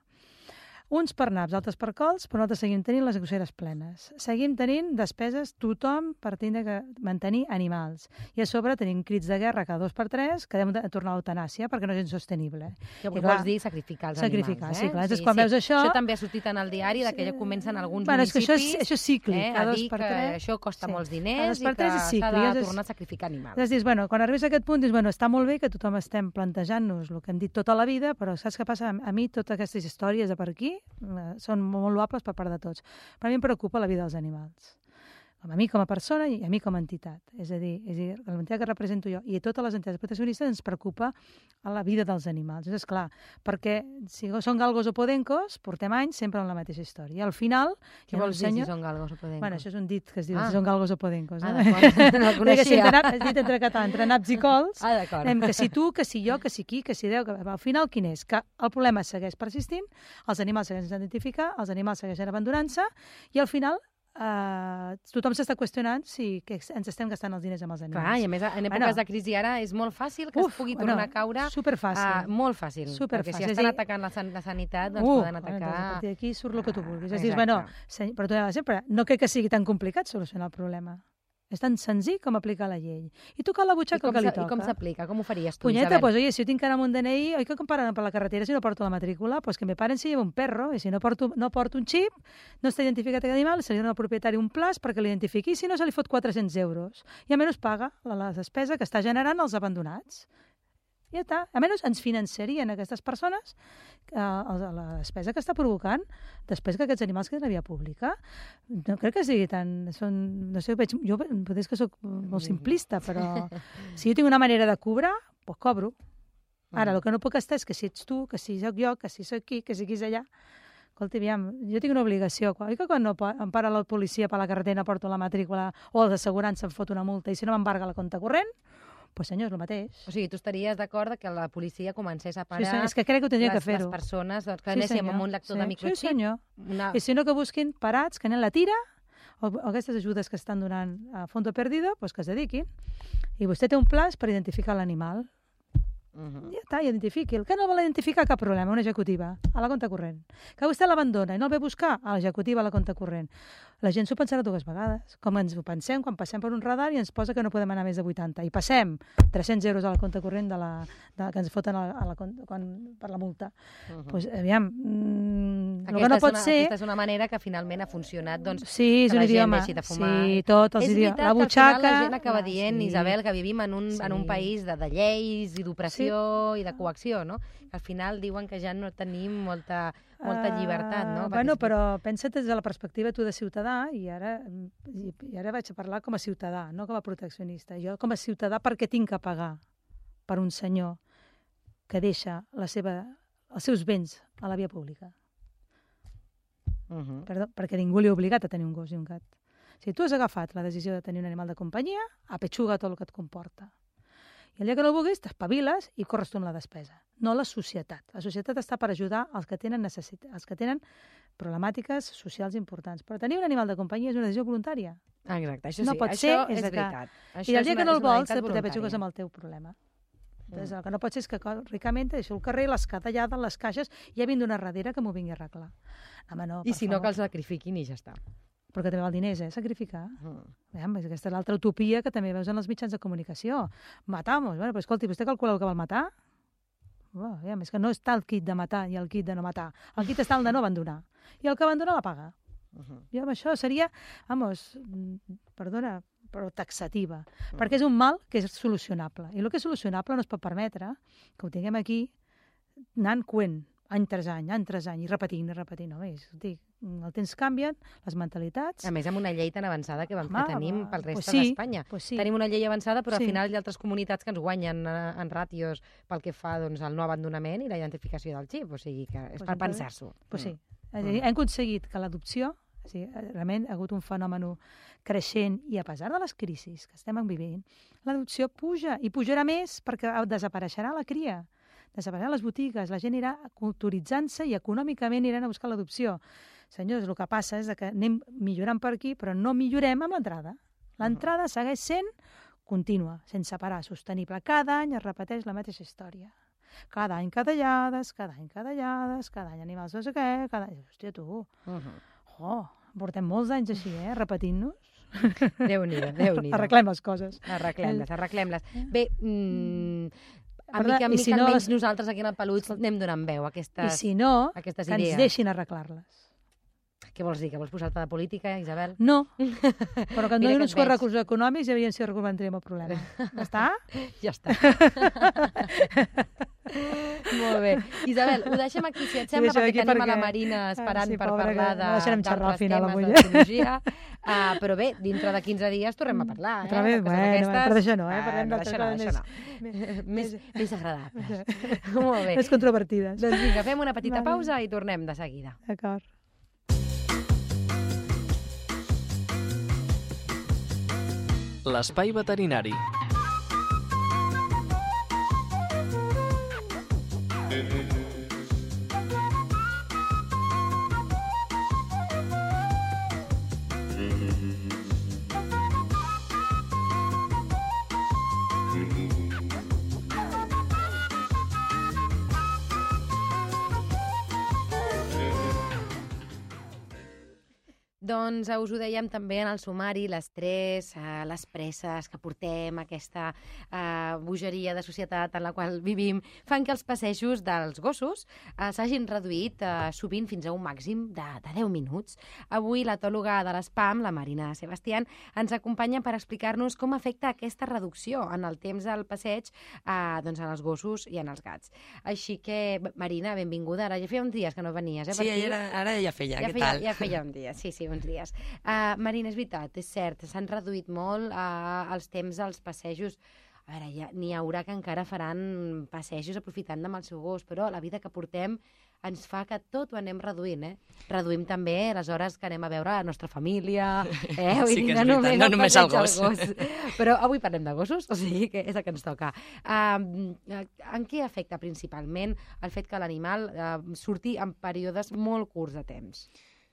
Uns per naps, altres per cols, però nosaltres seguim tenint les grosseres plenes. Seguim tenint despeses tothom per tindre que mantenir animals. I a sobre tenim crits de guerra cada dos per tres que hem de tornar a l'eutanàsia perquè no és insostenible. Que I, vols dir sacrificar els sacrificar, animals, sí, eh? clar. Sí, quan veus això... Això també ha sortit en el diari, que ja comencen alguns bueno, és que municipis això és, això és cíclic, eh, cada a dos dir per que tres. això costa Sí. molts Cada diners dos i per que tres és s'ha cíclic. de Llavors, tornar a sacrificar animals. Llavors dius, bueno, quan arribes a aquest punt, dius, bueno, està molt bé que tothom estem plantejant-nos el que hem dit tota la vida, però saps què passa? A mi totes aquestes històries de per aquí eh, són molt loables per part de tots. Però a mi em preocupa la vida dels animals. A mi com a persona i a mi com a entitat. És a dir, és a dir l'entitat que represento jo i a totes les entitats proteccionistes ens preocupa a la vida dels animals. És clar, perquè si són galgos o podencos, portem anys sempre amb la mateixa història. I al final... Què vols dir si són galgos o podencos? Bueno, això és un dit que es diu ah. si són galgos o podencos. Ah, No? d'acord, no el coneixia. Si entre, és dit entre català, entre naps i cols, ah, d'acord. que si tu, que si jo, que si qui, que si Déu, que al final quin és? Que el problema segueix persistint, els animals segueixen sense identificar, els animals segueixen abandonant-se i al final Uh, tothom s'està qüestionant si que ens estem gastant els diners amb els animals. Clar, i a més, en èpoques bueno, de crisi ara és molt fàcil que uf, es pugui bueno, tornar a caure. Superfàcil. Uh, molt fàcil. Superfàcil. Perquè si estan atacant la, san la sanitat, doncs uh, poden atacar... Bueno, a partir d'aquí surt el que tu vulguis. Uh, és dir, exacte. bueno, però tu sempre, no crec que sigui tan complicat solucionar el problema. És tan senzill com aplicar la llei. I tocar la butxaca el que li toca. I com s'aplica? Com ho faries tu, Punyeta, Isabel? pues, oye, si jo tinc que anar amb un D N I, oi que em paren per la carretera si no porto la matrícula? Pues que me paren si llevo un perro, i si no porto, no porto un xip, no està identificat aquest animal, se li dona al propietari un plaç perquè l'identifiqui, i si no se li fot quatre-cents euros. I a menys paga la, la despesa que està generant els abandonats. I ja està. A menys ens finançarien aquestes persones eh, la despesa que està provocant després que aquests animals queden a via pública. No crec que sigui tan... Són, no sé, veig, jo potser és que soc molt simplista, però si jo tinc una manera de cobrar, doncs cobro. Ara, el que no puc estar és que si ets tu, que si soc jo, que si soc aquí, que si aquí és allà... Escolta, aviam, jo tinc una obligació. Oi que quan no em para la policia per la carretera porto la matrícula o l'assegurança em fot una multa i si no m'embarga la compte corrent, doncs pues, senyor, és el mateix. O sigui, tu estaries d'acord que la policia comencés a parar... Sí, senyor, és que crec que ho tindria les, que fer-ho. Les persones doncs, que sí, anéssim amb un lector sí, de microxip. Sí, senyor. Una... I si no, que busquin parats, que anem la tira, o, o aquestes ajudes que estan donant a fondo perdido, pues que es dediquin. I vostè té un plaç per identificar l'animal. Uh -huh. Ja està, identifiqui. El que no vol identificar, cap problema, una executiva, a la compte corrent. Que vostè l'abandona i no el ve a buscar, a l'executiva, a la compte corrent. La gent s'ho pensarà dues vegades, com ens ho pensem quan passem per un radar i ens posa que no podem anar més de vuitanta. I passem tres-cents euros a la compte corrent de la, de, que ens foten a la, a la, quan, per la multa. Doncs, uh -huh. pues, aviam, mm, el que no pot una, ser... Aquesta és una manera que finalment ha funcionat, doncs, sí, és que un la gent idioma. deixi de fumar. Sí, tots els és idiomes. veritat La butxaca... que al final la gent acaba dient, sí. Isabel, que vivim en un, sí. en un país de, de lleis i d'opressió sí. i de coacció, no? Al final diuen que ja no tenim molta, molta llibertat, no? Uh, bueno, però pensa't des de la perspectiva tu de ciutadà i ara, i, i ara vaig a parlar com a ciutadà, no com a proteccionista. Jo com a ciutadà perquè tinc que pagar per un senyor que deixa la seva, els seus béns a la via pública. Uh -huh. Perdó, perquè ningú li ha obligat a tenir un gos i un gat. Si tu has agafat la decisió de tenir un animal de companyia, apetxuga tot el que et comporta. I el dia que no vulguis, t'espaviles i corres tu amb la despesa. No la societat. La societat està per ajudar els que tenen necessitat, els que tenen problemàtiques socials importants. Però tenir un animal de companyia és una decisió voluntària. Exacte, això sí, no pot això ser, és, és veritat. Que... Això I el dia una, que no el vols, te t'apetxugues amb el teu problema. Entonces, el que no pot ser és que ricament deixo el carrer, les catallades, les caixes, i ja vinc d'una darrere que m'ho vingui a arreglar. Home, no, I si favor. no, que el sacrifiquin i ja està. Però que també val diners, eh, sacrificar. Mm. Veiem, aquesta és l'altra utopia que també veus en els mitjans de comunicació. Matamos. Bueno, però escolti, vostè calcula el que val matar? Oh, veiem, és que no està el kit de matar i el kit de no matar. El kit està el de no abandonar. I el que abandona la paga. Uh -huh. Jo amb això seria, vamos, perdona, però taxativa. Uh -huh. Perquè és un mal que és solucionable. I el que és solucionable no es pot permetre que ho tinguem aquí anant coent, any tras any, any tras any, i repetint, i repetint. No, és, dic, el temps canvien, les mentalitats... A més, amb una llei tan avançada que, vam, Home, que tenim pel resta pues sí, d'Espanya. Pues sí. Tenim una llei avançada, però Sí. al final hi ha altres comunitats que ens guanyen eh, en ràtios pel que fa doncs, al no abandonament i la identificació del xip. O sigui, que és Pues per entonces- pensar-s'ho. Pues sí. Mm. És a dir, hem aconseguit que l'adopció, o sigui, realment ha hagut un fenomen creixent i a pesar de les crisis que estem vivint, l'adopció puja i pujarà més perquè desapareixerà la cria. Desapareixeran les botigues, la gent irà culturitzant-se i econòmicament iran a buscar l'adopció. Senyors, el que passa és que anem millorant per aquí, però no millorem amb l'entrada. L'entrada segueix sent contínua, sense parar, sostenible. Cada any es repeteix la mateixa història. Cada any cadallades, cada any cadallades, cada any animals no sé què, cada any... Hòstia, tu, Uh -huh. oh, portem molts anys així, eh, repetint-nos. Déu-n'hi-do, Déu-n'hi-do. Arreglem les coses. Arreglem-les, arreglem-les. Bé, mm, a Perdó, mica en i mica, si no almenys les- nosaltres aquí en el Peluig anem donant veu a I aquestes, si no, aquestes que ens idees. deixin arreglar-les. Què vols dir? Que vols posar-te de política, Isabel? No, però que em Mira donin que uns et quants veig. recursos econòmics i aviam si resoldrem el problema. Ja està? Ja està. Molt bé. Isabel, ho deixem aquí, si et sembla, deixem perquè aquí tenim a la perquè- Marina esperant Ah, sí, per pobra, parlar que de, la deixarem xerrar al d'altres final, temes avui, eh? d'ecologia. Uh, però bé, dintre de quinze dies tornem a parlar. Otra eh? vez, de coses bueno, d'aquestes. però d'això no, eh? Ah, Parlem no, d'altres d'això no, coses d'això no. Més, més agradables. Molt bé. més controvertides. Doncs vinga, fem una petita Vale. pausa i tornem de seguida. D'acord. L'espai veterinari. Doncs eh, us ho dèiem també en el sumari, l'estrès, eh, les presses que portem, aquesta eh, bogeria de societat en la qual vivim, fan que els passejos dels gossos eh, s'hagin reduït eh, sovint fins a un màxim de, de deu minuts. Avui l'etòloga de l'ESPAM, la Marina Sebastián, ens acompanya per explicar-nos com afecta aquesta reducció en el temps del passeig eh, doncs en els gossos i en els gats. Així que, Marina, benvinguda. Ara ja feia uns dies que no venies, eh? Sí, per aquí. ara, ara ja feia, Ja què feia, tal? ja feia un dia, sí, sí, uns dies. Uh, Marina, és veritat, és cert, s'han reduït molt uh, els temps dels passejos. A veure, ja, n'hi haurà que encara faran passejos aprofitant amb el seu gos, però la vida que portem ens fa que tot ho anem reduint, eh? Reduïm també les hores que anem a veure la nostra família, eh? Vull Sí dir, que és veritat, no només el passeig al gos. Però avui parlem de gossos, o sigui que és el que ens toca. Uh, en què afecta principalment el fet que l'animal uh, surti en períodes molt curts de temps?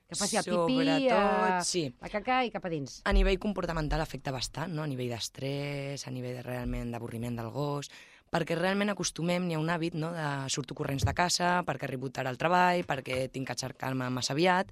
Que faci el pipí, Sobretot, eh, sí. la caca i cap a dins. A nivell comportamental afecta bastant, no? A nivell d'estrès, a nivell de, realment d'avorriment del gos, perquè realment acostumem, n'hi ha un hàbit, no?, de surto corrents de casa, perquè arribo tard al treball, perquè tinc que aixecar-me massa aviat,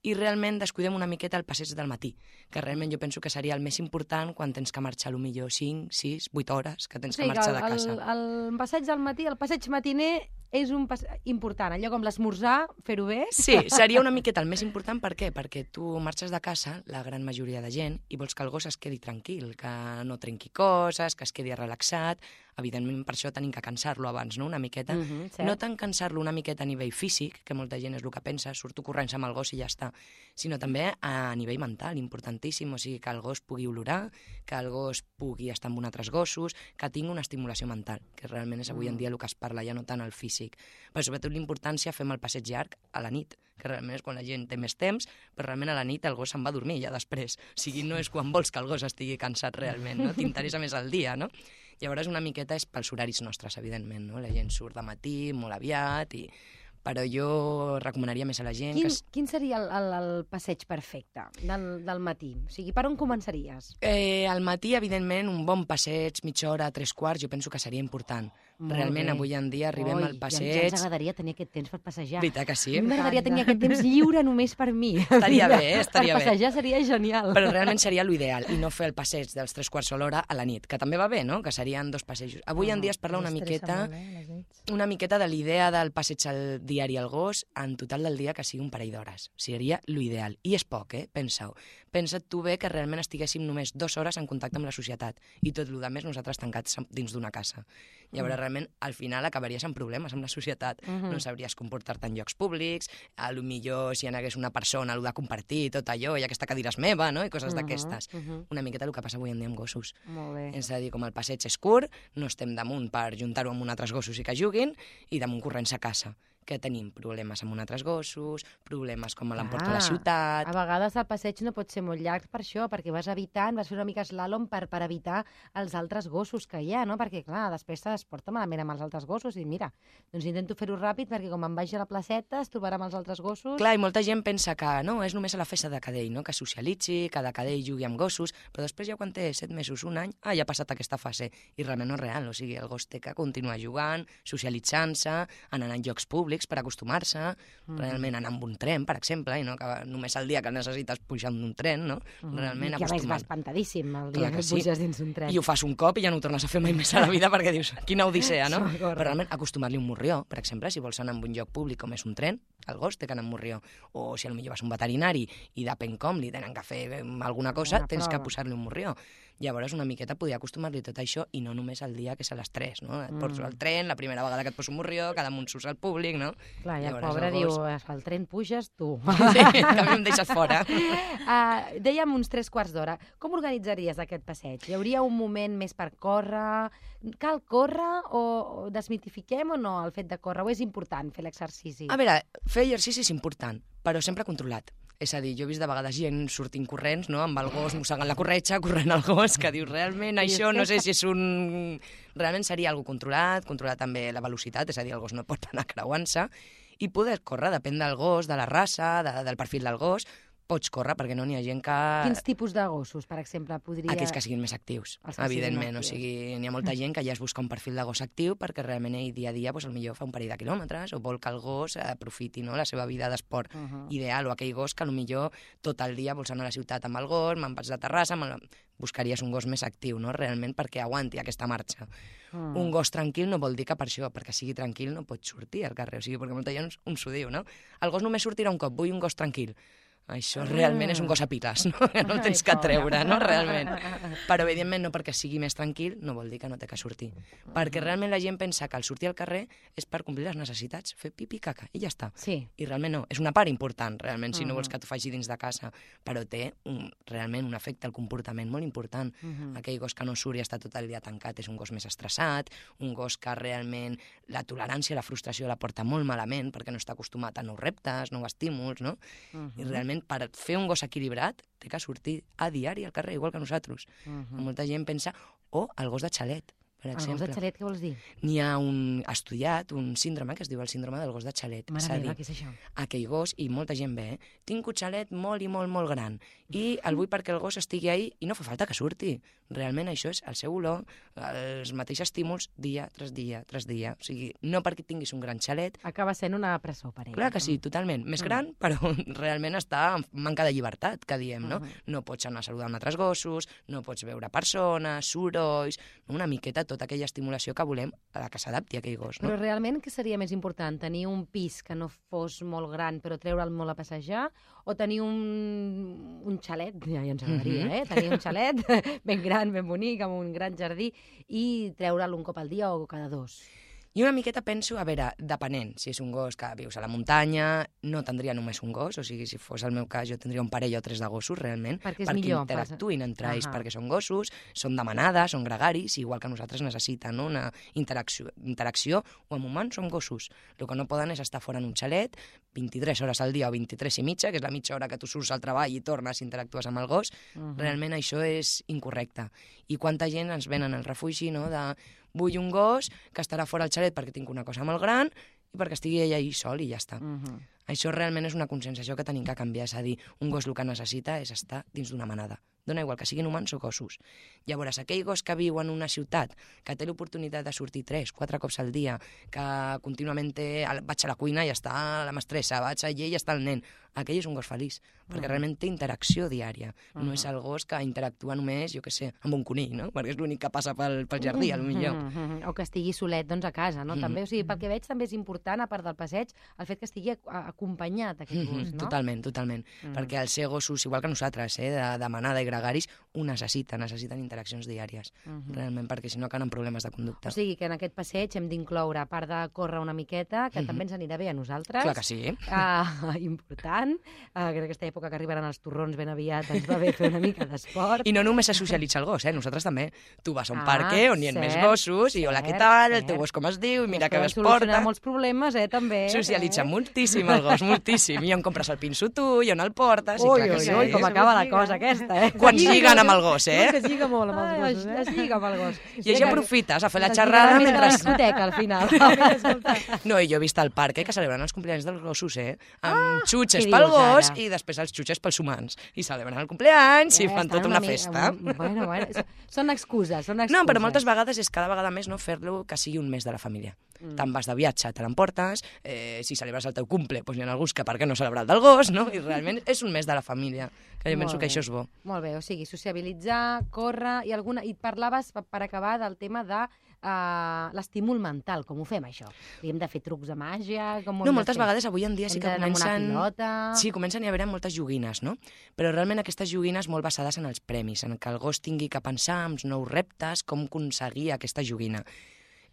i realment descuidem una miqueta el passeig del matí, que realment jo penso que seria el més important quan tens que marxar potser cinc, sis, vuit hores, que tens O que sigui, marxar el, de casa. el, el passeig del matí, el passeig matiner és un pas important, allò com l'esmorzar, fer-ho bé. Sí, seria una miqueta el més important, per què? Perquè tu marxes de casa, la gran majoria de gent, i vols que el gos es quedi tranquil, que no trenqui coses, que es quedi relaxat. Evidentment, per això tenim que cansar-lo abans, no?, una miqueta. Uh -huh, cert. No tant cansar-lo una miqueta a nivell físic, que molta gent és el que pensa, surto corrents amb el gos i ja està, sinó també a nivell mental, importantíssim, o sigui, que el gos pugui olorar, que el gos pugui estar amb uns altres gossos, que tingui una estimulació mental, que realment és avui en dia el que es parla, ja no tant el físic. Però sobretot l'importància fem el passeig llarg a la nit, que realment és quan la gent té més temps, però realment a la nit el gos se'n va a dormir ja després. O sigui, no és quan vols que el gos estigui cansat realment, no? T'interessa més el dia, no? Llavors una miqueta és pels horaris nostres, evidentment, no? La gent surt de matí, molt aviat, i Però jo recomanaria més a la gent... Quin, que... quin seria el, el, el passeig perfecte del, del matí? O sigui, per on començaries? Eh, al matí, evidentment, un bon passeig, mitja hora, tres quarts, jo penso que seria important. Molt Realment, bé. avui en dia arribem Oi, al ja, passeig... ja ens agradaria tenir aquest temps per passejar. Veritat que sí? A mi m'agradaria tenir aquest temps lliure només per mi. Estaria bé, eh? Estaria per bé. passejar seria genial. Però realment seria l'ideal, i no fer el passeig dels tres quarts de l'hora a la nit, que també va bé, no?, que serien dos passejos. Avui en dia es parla una miqueta, una miqueta de l'idea del passeig al diari al gos, en total del dia que sigui un parell d'hores. Seria l'ideal. I és poc, eh? Pensa-ho. Pensa't tu bé que realment estiguéssim només dues hores en contacte amb la societat i tot el més nosaltres tancats dins d'una casa. Llavors, realment, al final acabaries amb problemes amb la societat. Uh -huh. No sabries comportar-te en llocs públics, a lo millor si hi hagués una persona, allò de compartir tot allò, i aquesta cadira és meva, no?, i coses uh -huh. d'aquestes. Uh -huh. Una miqueta el que passa avui en dia amb gossos. Molt bé. És a dir, com el passeig és curt, no estem damunt per juntar-ho amb uns altres gossos i que juguin, i damunt corrents a casa. Que tenim problemes amb uns altres gossos, problemes com a l'emporta a la ciutat... A vegades el passeig no pot ser molt llarg per això, perquè vas evitant, vas fer una mica slalom per, per evitar els altres gossos que hi ha, no? Perquè, clar, després es porta malament amb els altres gossos i mira, doncs intento fer-ho ràpid perquè com em vagi a la placeta es trobarà amb els altres gossos... Clar, i molta gent pensa que no, és només a la festa de cadell, no?, que socialitzi, que de cadell jugui amb gossos, però després ja quan té set mesos, un any, ah, ja ha passat aquesta fase, i realment no és real, o sigui, el gos té que continuar jugant, socialitzant-se, anant a llocs públics per acostumar-se, mm. realment anar amb un tren, per exemple, i no que només el dia que necessites pujar en un tren, no? Mm. Realment I que a més acostumar. va espantadíssim el dia Clar que, que que sí. puges dins un tren. I ho fas un cop i ja no ho tornes a fer mai més a la vida perquè dius, quina odissea, no? Sí, però realment acostumar-li un morrió, per exemple, si vols anar a un lloc públic com és un tren, el gos té que anar amb morrió, o si potser vas a un veterinari i depèn com li tenen que fer alguna cosa, Una tens prova. que posar-li un morrió. Llavors, una miqueta poder acostumar-li tot això i no només el dia que és a les tres, no? Et portes al tren, la primera vegada que et poso un morrió, cada damunt surts al públic, no? Clar, i el Llavors, pobre el diu, gos- al tren puges tu. Sí, que a mi em deixes fora. Uh, dèiem uns tres quarts d'hora. Com organitzaries aquest passeig? Hi hauria un moment més per córrer? Cal córrer o, o desmitifiquem o no el fet de córrer? O és important fer l'exercici? A veure, fer exercici és important, però sempre controlat. És a dir, jo he vist de vegades gent sortint corrents, no?, amb el gos mossegant la corretja, corrent el gos, que dius, realment això no sé si és un... Realment seria algo controlat, controlar també la velocitat, és a dir, el gos no pot anar creuant-se, i poder córrer, depèn del gos, de la raça, de, del perfil del gos, pots córrer, perquè no n'hi ha gent que... Quins tipus de gossos, per exemple, podria... Aquells que siguin més actius, Els que evidentment. siguin O actius. sigui, n'hi ha molta gent que ja es busca un perfil de gos actiu perquè realment ell dia a dia doncs, potser fa un parell de quilòmetres o vol que el gos aprofiti, no?, la seva vida d'esport Uh -huh. ideal, o aquell gos que potser tot el dia vols anar a la ciutat amb el gos, me'n vaig de Terrassa, me la... buscaries un gos més actiu, no?, realment perquè aguanti aquesta marxa. Mm. Un gos tranquil no vol dir que per això, perquè sigui tranquil no pot sortir al carrer, o sigui, perquè molta gent uns ho diu, no? El gos només sortirà un cop, vull un gos tranquil. Això realment és un gos a piles, no? Que no el tens que treure, no? Realment. Però, evidentment, no perquè sigui més tranquil no vol dir que no té que sortir. Perquè realment la gent pensa que el sortir al carrer és per complir les necessitats, fer pipi i caca, i ja està. Sí. I realment no. És una part important, realment, si no vols que t'ho faci dins de casa. Però té un, realment un efecte al comportament molt important. Mhm. Aquell gos que no surt i està tot el dia tancat és un gos més estressat, un gos que realment la tolerància, la frustració la porta molt malament perquè no està acostumat a nous reptes, nous estímuls, no? Mhm. I realment per fer un gos equilibrat té que sortir a diari al carrer, igual que nosaltres. Mhm. Molta gent pensa, o el gos de xalet, per El gos exemple. de xalet, què vols dir? N'hi ha un estudiat, un síndrome que es diu el síndrome del gos de xalet. És a Mare meva, dir, què és això? aquell gos, i molta gent ve, eh? Tinc un xalet molt i molt, molt gran, i el vull perquè el gos estigui ahí i no fa falta que surti. Realment això és el seu olor, els mateixos estímuls, dia tras dia tras dia. O sigui, no perquè tinguis un gran xalet, Acaba sent una presó per ell. clar que sí, totalment. Més gran, però realment està en manca de llibertat, que diem, no? Mhm. No pots anar a saludar amb altres gossos, no pots veure persones, sorolls, una miqueta tota aquella estimulació que volem a la que s'adapti a aquell gos, no? Però realment què seria més important? Tenir un pis que no fos molt gran però treure'l molt a passejar? O tenir un, un xalet, ja, ja ens agradaria, Mhm. eh? Tenir un xalet ben gran, ben bonic, amb un gran jardí i treure'l un cop al dia o cada dos? I una miqueta penso, a veure, depenent, si és un gos que vius a la muntanya, no tindria només un gos, o sigui, si fos el meu cas, jo tindria un parell o tres de gossos, realment, Perquè és perquè millor, interactuïn entre ells, Ahà. perquè són gossos, són de manada, són gregaris, igual que nosaltres necessiten, no?, una interacció, interacció, o amb humans som gossos. El que no poden és estar fora en un xalet, vint-i-tres hores al dia o vint-i-tres i mitja, que és la mitja hora que tu surts al treball i tornes i interactues amb el gos, Mhm. realment això és incorrecte. I quanta gent ens venen al refugi, no?, de vull un gos que estarà fora al xalet perquè tinc una cosa molt gran i perquè estigui ell ahí sol i ja està. Mhm. Això realment és una conscienciació que tenim que canviar, és a dir, un gos el que necessita és estar dins d'una manada. Dona igual que siguin humans o gossos. Llavors, aquell gos que viu en una ciutat, que té l'oportunitat de sortir tres, quatre cops al dia, que contínuament té, vaig a la cuina i està la mestressa, vaig allà i està el nen, aquell és un gos feliç, perquè realment té interacció diària. No és el gos que interactua només, jo què sé, amb un conill, no? Perquè és l'únic que passa pel, pel jardí, potser. O que estigui solet, doncs, a casa, no? També, o sigui, pel que veig, també és important, a part del passeig, el fet que estigui acompanyat, aquest gos, no? Totalment, totalment. Perquè els ser gossos, igual que nosaltres, eh, de, de manada i gregaris, ho necessiten, necessiten interaccions diàries, realment, perquè si no acaben problemes de conducta. O sigui, que en aquest passeig hem d'incloure, a part de córrer una miqueta, que també ens anirà bé a nosaltres. Clar que sí. Uh, important. Uh, que en aquesta època que arribaran els torrons ben aviat ens va bé fer una mica d'esport. I no només se socialitza el gos, eh? Nosaltres també. Tu vas a un Ah, parque on hi ha cert, més gossos, i hola, cert, què tal, el cert. teu gos com es diu, i mira Es que poden es porta. solucionar molts problemes, eh, també. Socialitza eh? moltíssim el gos, moltíssim. I on compres el pinso tu, i on el portes, i Ui, clar que ui, sí. ui, com acaba la cosa aquesta, eh? Quan lliguen amb el gos, eh? Que es lliga molt amb els gossos, Es eh? lliga amb el gos. I així aprofites a fer la Es xerrada lliga més que la mentre... discoteca, al final. No, i jo he vist al parc eh, que celebren els cumpleaños dels gossos, eh? Amb xutxes què pel dius, gos ara? i després els xutxes pels humans. I celebren el cumpleaños i fan estan tota una mi- festa. Bueno, bueno, són excuses, són excuses. No, però moltes vegades és cada vegada més no fer-lo que sigui un mes de la família. Mm. Te'n vas de viatge, te l'emportes, eh, si celebres el teu cumple, doncs hi ha alguns que per què no celebrar el del gos, no? I realment és un mes de la família, que jo Molt penso que bé. això és bo. Molt bé, o sigui, sociabilitzar, córrer i alguna... I parlaves, per, per acabar, del tema de uh, l'estímul mental. Com ho fem, això? Hem de fer trucs de màgia? Com ho No, hem de moltes fer? vegades avui en dia sí Hem que d'anar amb comencen... una pilota... Sí, comencen a haver moltes joguines, no? Però realment aquestes joguines molt basades en els premis, en que el gos tingui que pensar en nous reptes, com aconseguir aquesta joguina.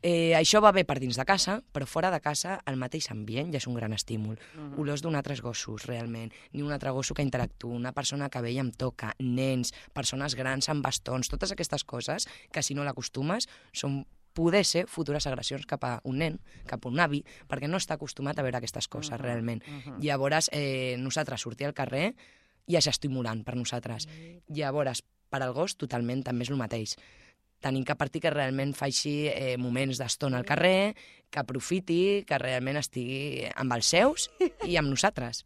Eh, això va bé per dins de casa, però fora de casa el mateix ambient ja és un gran estímul. Uh-huh. Olors d'un altres gossos, realment. Ni un altre gosso que interactua, una persona que ve i em toca, nens, persones grans amb bastons, totes aquestes coses que si no l'acostumes són poder ser futures agressions cap a un nen, cap a un avi, perquè no està acostumat a veure aquestes coses, uh-huh. realment. Uh-huh. Llavors, eh, nosaltres sortir al carrer ja és estimulant per nosaltres. Uh-huh. Llavors, per al gos, totalment també és el mateix. Tenim que partir que realment faci eh, moments d'estona al carrer, que aprofiti, que realment estigui amb els seus i amb nosaltres.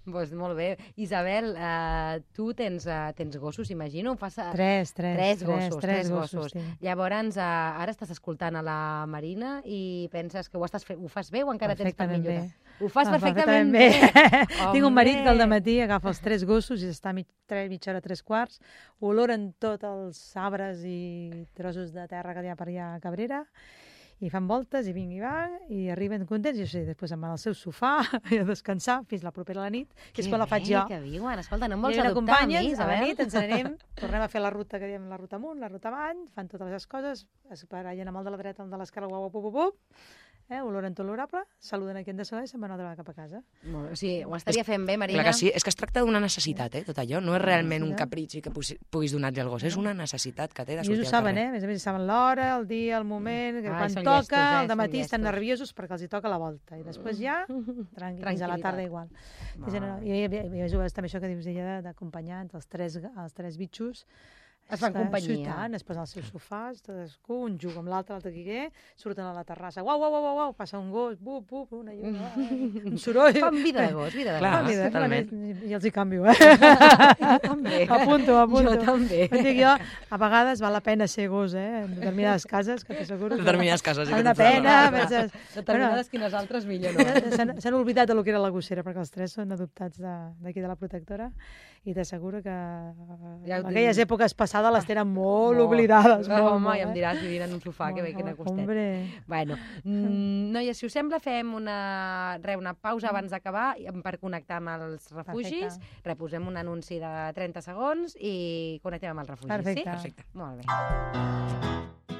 Pues molt bé. Isabel, uh, tu tens, uh, tens gossos, imagino? Fas, uh, Tres, tres. Tres gossos, tres, tres gossos. sí. Llavors, uh, ara estàs escoltant a la Marina i penses que ho, estàs fe ho fas bé o encara tens per Perfectament millorar? bé. Ho fas Ah, perfectament, perfectament bé. Tinc un marit que al Home. matí agafa els tres gossos i està mig, tres, mitja hora, tres quarts, oloren tots els arbres i trossos de terra que hi ha per allà a Cabrera, i fan voltes i vinc i van, i arriben contents, i jo sé, després em van al seu sofà a descansar fins la propera a la nit, que és quan la faig jo. Que viuen. Escolta, no em I vols ella adoptar a mi, l'acompanya, a la Isabel? nit ens n'anem, tornem a fer la ruta que diem, la ruta amunt, la ruta avall, fan totes les coses, es barallen amb el de la dreta, el de l'esquerra, guau, guau, guau, guau, eh, oloren tot l'orable, saluden a qui han de saludar i se'n van a treballar cap a casa. Molt bé. O sigui, ho estaria fent bé, Marina? Clar que sí, és que es tracta d'una necessitat, eh, tot allò. No és realment un necessitat. capritxi que puguis- puguis donar-li al gos, és una necessitat que té de I ells sortir ho al saben, carrer. eh? A més a més, saben l'hora, el dia, el moment, que Ai, quan són toca, llestos, eh? al matí Són estan llestos. nerviosos perquè els hi toca la volta. I després ja, tranquils, a la tarda igual. Molt I, no, i, i, i, i és també això que dius ella d'acompanyar entre els tres, els tres bitxos. Es fan que- companyia. Sí, tant, es posen als seus sofàs, cadascú, un juga amb l'altre, l'altre qui què, surten a la terrassa, uau, uau, uau, uau, passa un gos, bup, bup, una lluna, un soroll. Fan vida de gos, vida de Clar. gos. Fan vida, totalment. bueno, I els hi canvio, eh? Jo també. Apunto, apunto. Jo també. Em dic jo, a vegades val la pena ser gos, eh? En determinades cases, que t'asseguro que... Determinades cases, sí Val que una tens raó. pena. penses- Determinades quines altres millor no. Bueno, S'han s'han oblidat del que era la gossera, perquè els tres són adoptats de- d'aquí de, de la protectora, i t'asseguro que Ja ho tinc. aquelles èpoques passades les tenen molt Molt. oblidades. No, molt, home, molt, i em eh? diràs vivint en un sofà, que bé, que n'ha Molt, costat. Hombre. Bueno, mm, noies, si us sembla, fem una, re, una pausa abans d'acabar i- per connectar amb els refugis. Perfecte. Reposem un anunci de trenta segons i connectem amb els refugis, Perfecte. sí? Perfecte. Molt bé.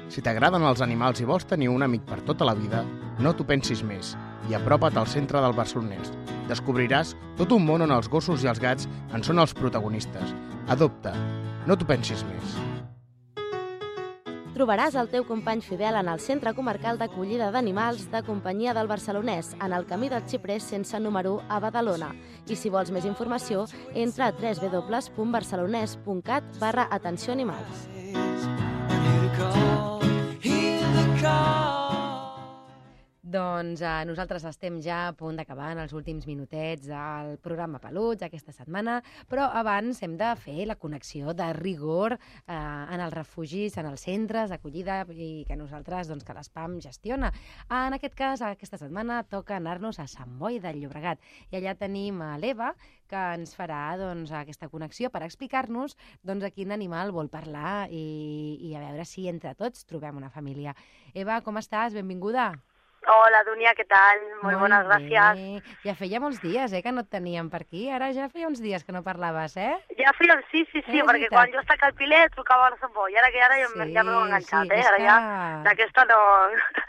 Si t'agraden els animals i vols tenir un amic per tota la vida, no t'ho pensis més i apropa't al centre del Barcelonès. Descobriràs tot un món on els gossos i els gats en són els protagonistes. Adopta. No t'ho pensis més. Trobaràs el teu company fidel en el Centre Comarcal d'Acollida d'Animals de Companyia del Barcelonès, en el camí del Xiprers sense número u a Badalona. I si vols més informació, entra a w w w punt barcelonès punt cat barra atenció animals. Doncs eh, nosaltres estem ja a punt d'acabar en els últims minutets del programa Peluts aquesta setmana, però abans hem de fer la connexió de rigor eh, en els refugis, en els centres d'acollida i que nosaltres, doncs, que l'Espam gestiona. En aquest cas, aquesta setmana toca anar-nos a Sant Boi del Llobregat i allà tenim a l'Eva, que ens farà doncs, aquesta connexió per explicar-nos doncs, a quin animal vol parlar i, i a veure si entre tots trobem una família. Eva, com estàs? Benvinguda. Hola, Dunia, què tal? Molt, Molt bones bé. gràcies. Ja feia molts dies eh, que no et teníem per aquí. Ara ja feia uns dies que no parlaves, eh? Ja feia, sí, sí, sí, És perquè veritat. quan jo estava al Pilet trucava a la Sant Boi, ara que ara ja, Sí, ja m'heu enganxat, sí, eh? és Ara ja, que- d'aquesta no...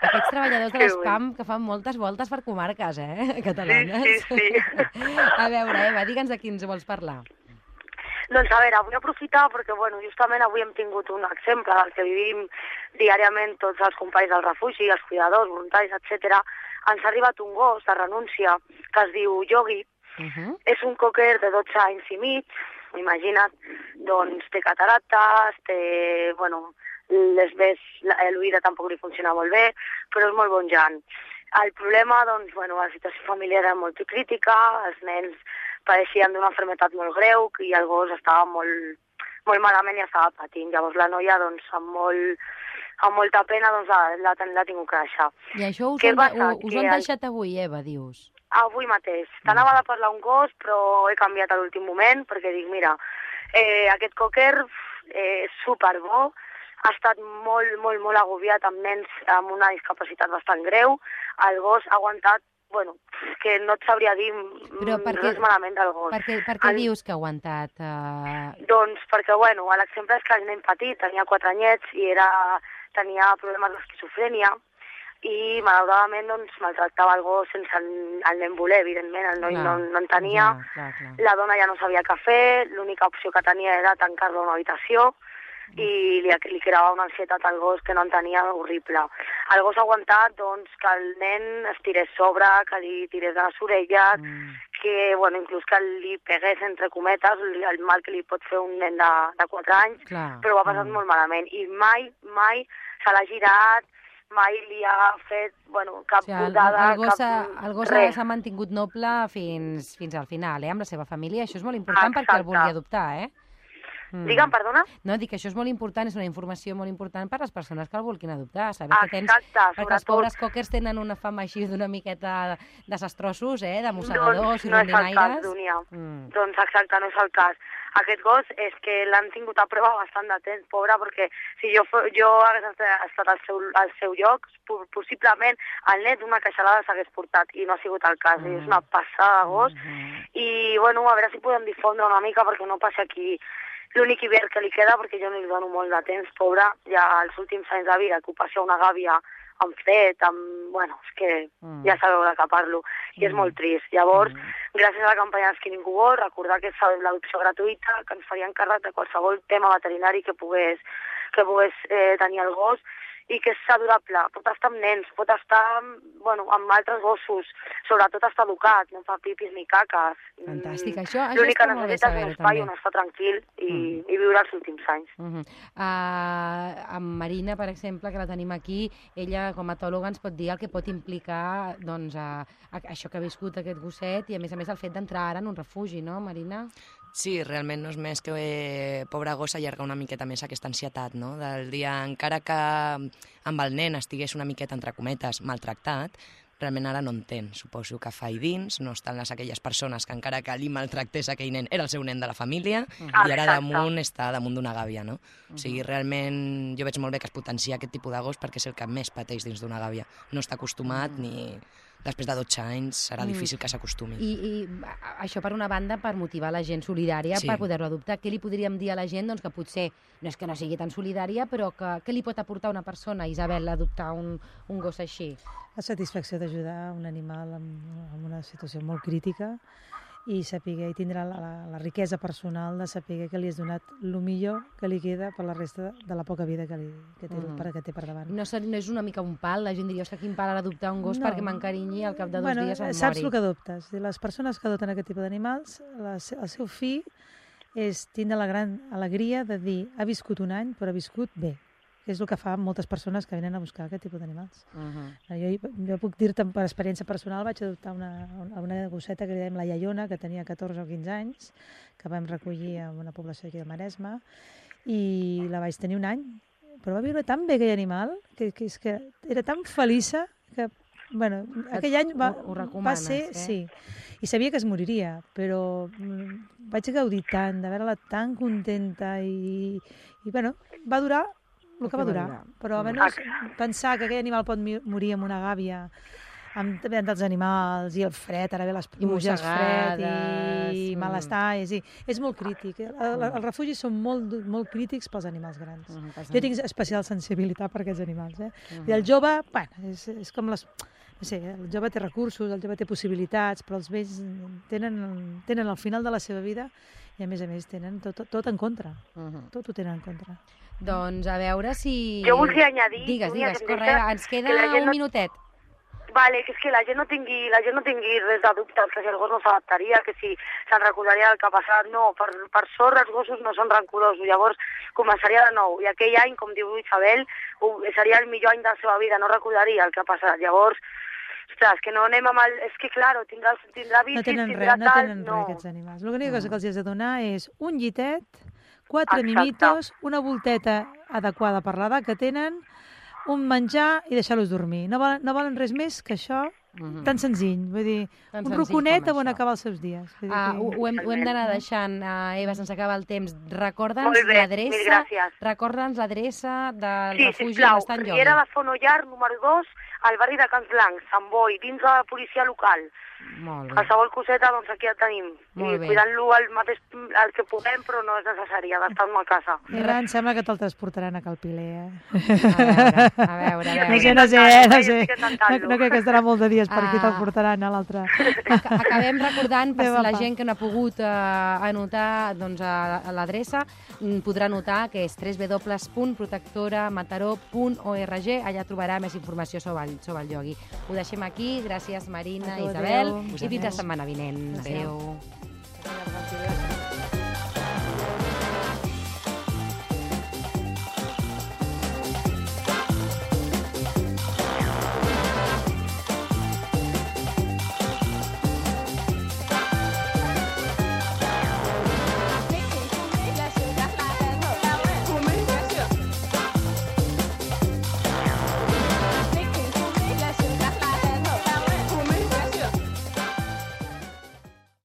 Aquests treballadors de Que l'Espam que fan moltes voltes per comarques, eh? Catalanes. Sí, sí, sí. A veure, Eva, digue'ns de quins vols parlar. Doncs a veure, vull aprofitar perquè, bueno, justament avui hem tingut un exemple del que vivim diàriament tots els companys del refugi, els cuidadors, voluntaris, etcètera. Ens ha arribat un gos de renúncia que es diu Yogi. Uh -huh. És un cocker de dotze anys i mig, imagina't, doncs té cataractes, té, bueno, les ves, l'oïda tampoc li funciona molt bé, però és molt bon jan. El problema, doncs, bueno, la situació familiar era molt crítica, els nens pareixien d'una malaltia molt greu i el gos estava molt, molt malament i estava patint. Llavors la noia, doncs, amb, molt, amb molta pena, doncs, l'ha l'ha tingut que deixar. I això us, Què han, passa? de, us ho han Que el- deixat avui, Eva, dius? Avui mateix. T'anava de parlar un gos, però he canviat a l'últim moment, perquè dic, mira, eh, aquest cocker eh, és superbo, ha estat molt, molt, molt agobiat amb nens amb una discapacitat bastant greu. El gos ha aguantat, bueno, que no et sabria dir Però per què- res malament del gos. Per què, per què El- dius que ha aguantat? Uh... Doncs perquè, bueno, l'exemple és que el nen petit tenia quatre anyets i era, tenia problemes d'esquizofrènia i, malauradament, doncs, maltractava el gos sense el, el nen voler, evidentment, el noi no, no en tenia. Ja, clar, clar. La dona ja no sabia què fer, l'única opció que tenia era tancar-lo a una habitació i li, li creava una ansietat al gos que no en tenia horrible. El gos ha aguantat doncs, que el nen es tirés sobre, que li tirés de les orelles, Mm. que bueno, inclús que li pegués, entre cometes, el mal que li pot fer un nen de, de quatre anys, Clar. però ho ha passat Mm. molt malament. I mai, mai se l'ha girat, mai li ha fet bueno, cap O sigui, el, putada, el gos, s'ha- cap... el gos res. s'ha mantingut noble fins, fins al final, eh, amb la seva família. Això és molt important perquè el Exacte. vulgui adoptar, eh? Mm. Digue'm, perdona? No, dic que això és molt important, és una informació molt important per les persones que el vulguin adoptar. Saber que tens... Exacte, Perquè els sobretot. pobres cockers tenen una fama així d'una miqueta desastrosos, eh? De mossegadors Doncs i no és el cas, rondinaires. Dunia. Mm. Doncs exacte, no és el cas. Aquest gos és que l'han tingut a prova bastant de temps, pobre, perquè si jo, fo- jo hagués estat- estat al seu, al seu lloc, po- possiblement el net d'una queixalada s'hagués portat, i no ha sigut el cas. Mm. És una passada de gos, Mhm. i bueno, a veure si podem difondre una mica perquè no passi aquí l'únic hivern que li queda, perquè jo no li dono molt de temps, pobre, ja els últims anys de vida, que ho passi a una gàbia amb fred, amb... bueno, és que Mm. ja sabeu de què parlo, i és Mm. molt trist. Llavors, Mm. gràcies a la campanya d'Skinning World, recordar que és l'adopció gratuïta, que ens faria càrrec de qualsevol tema veterinari que pogués, que pogués eh, tenir el gos, i que és adorable. Pot estar amb nens, pot estar bueno, amb altres gossos, sobretot està educat, no fa pipis ni caques. Fantàstic, Mm, això, això l'únic està que molt bé necessita és un saber-ho, espai també. on estar tranquil i, Mm. i viure els últims anys. Uh -huh. uh, amb Marina, per exemple, que la tenim aquí, ella com a etòloga ens pot dir el que pot implicar doncs, a, a això que ha viscut aquest gosset i a més a més el fet d'entrar ara en un refugi, no, Marina? Sí, realment no és més que, eh, pobre gos, allargar una miqueta més aquesta ansietat, no? Del dia, encara que amb el nen estigués una miqueta, entre cometes, maltractat, realment ara no entén. Suposo que fa i dins, no estan les aquelles persones que encara que li maltractés aquell nen, era el seu nen de la família, i ara Exacte. damunt està damunt d'una gàbia, no? O sigui, realment jo veig molt bé que es potencia aquest tipus de gos perquè és el que més pateix dins d'una gàbia. No està acostumat ni... Després de dotze anys serà difícil que s'acostumi. I, I a- això, per una banda, per motivar la gent solidària, Sí. per poder-ho adoptar. Què li podríem dir a la gent? Doncs que potser no és que no sigui tan solidària, però que què li pot aportar una persona, Isabel, adoptar un, un gos així? La satisfacció d'ajudar un animal en, en una situació molt crítica i saber i tindrà la, la, la riquesa personal de saber que li has donat el millor que li queda per la resta de la poca vida que, li, que, té, Mm. per, que té per davant. No, ser- no és una mica un pal? La gent diria, ostres, quin pal ara adoptar un gos No. perquè m'encarinyi i al cap de dos bueno, dies em saps mori. el que adoptes. Les persones que adopten aquest tipus d'animals, la se- el seu fi és tindre la gran alegria de dir ha viscut un any però ha viscut bé. que és el que fa moltes persones que venen a buscar aquest tipus d'animals. Uh -huh. Jo, jo puc dir-te per experiència personal, vaig adoptar una, una gosseta que li dèiem la Iaiona, que tenia catorze o quinze anys, que vam recollir en una població aquí del Maresme, i la vaig tenir un any, però va viure tan bé aquell animal, que, que, és que era tan feliça que, bueno, aquell any va, ho, ho va ser, eh? sí, i sabia que es moriria, però mm, vaig gaudir tant de veure-la tan contenta i, i bueno, va durar el que va durar, però almenys pensar que aquell animal pot morir amb una gàbia, amb també dels animals, i el fred, ara ve les pluges, fred i mm. malestar, és, és molt crític. El, el, els refugis són molt, molt crítics pels animals grans. Mm, jo tinc especial sensibilitat per aquests animals. Eh? Mm. I el jove, bueno, és, és com les... No sé, el jove té recursos, el jove té possibilitats, però els vells tenen, tenen al final de la seva vida i a més a més tenen tot, tot en contra. Uh -huh. Tot ho tenen en contra. Doncs a veure si... Jo volia añadir... Digues, Núria, digues, que corre, deixa ens queda que la gent un no- minutet. Vale, que és que la gent no tingui, la gent no tingui res de dubtes, que si el gos no s'adaptaria, que si se'n recordaria del que ha passat. No, per, per sort els gossos no són rancorosos, llavors començaria de nou. I aquell any, com diu Isabel, ho, seria el millor any de la seva vida, no recordaria el que ha passat. Llavors, ostres, que no anem amb el... És que, claro, tindrà, tindrà bicis, No tenen tindrà res, no tal... tenen res, aquests animals. L'única cosa que els has de donar és un llitet, quatre Exacte. mimitos, una volteta adequada per l'edat que tenen, un menjar i deixar-los dormir. No volen, no volen res més que això, Mhm. tan senzill. Vull dir, Tan un senzill roconet com on això. acabar els seus dies. Vull dir Ah, que- ho, ho hem, ho hem d'anar deixant, uh, Eva, se'ns acaba el temps. Recorda'ns Molt bé, mil l'adreça gràcies. recorda'ns l'adreça del Sí, refugi on sisplau, està en Riera Llogui. de Fonollar, número dos, al barri de Camps Blancs, Sant Boi, dins de la policia local. Molt bé. Qualsevol coseta, doncs aquí el tenim. Molt I bé. cuidant-lo el mateix el que puguem, però no és necessari, ha d'estar a casa. Eva, em sembla que te'l transportaran a Calpiler, eh? A veure, a veure, a No veure. sé, no sé, eh? no Jo sé. estic No, intentant-lo. no crec que estarà molt de dies per aquí, Ah. te'l portaran a l'altre. Ac- Acabem recordant, per Adéu, la apa. gent que no ha pogut eh, anotar doncs, a, a l'adreça, mm, podrà anotar que és w w w punt protectora mataró punt org. Allà trobarà més informació sobre el, sobre el llogui. Ho deixem aquí. Gràcies, Marina, A tu, Isabel. adéu. I fins la setmana vinent. Adéu. Adéu.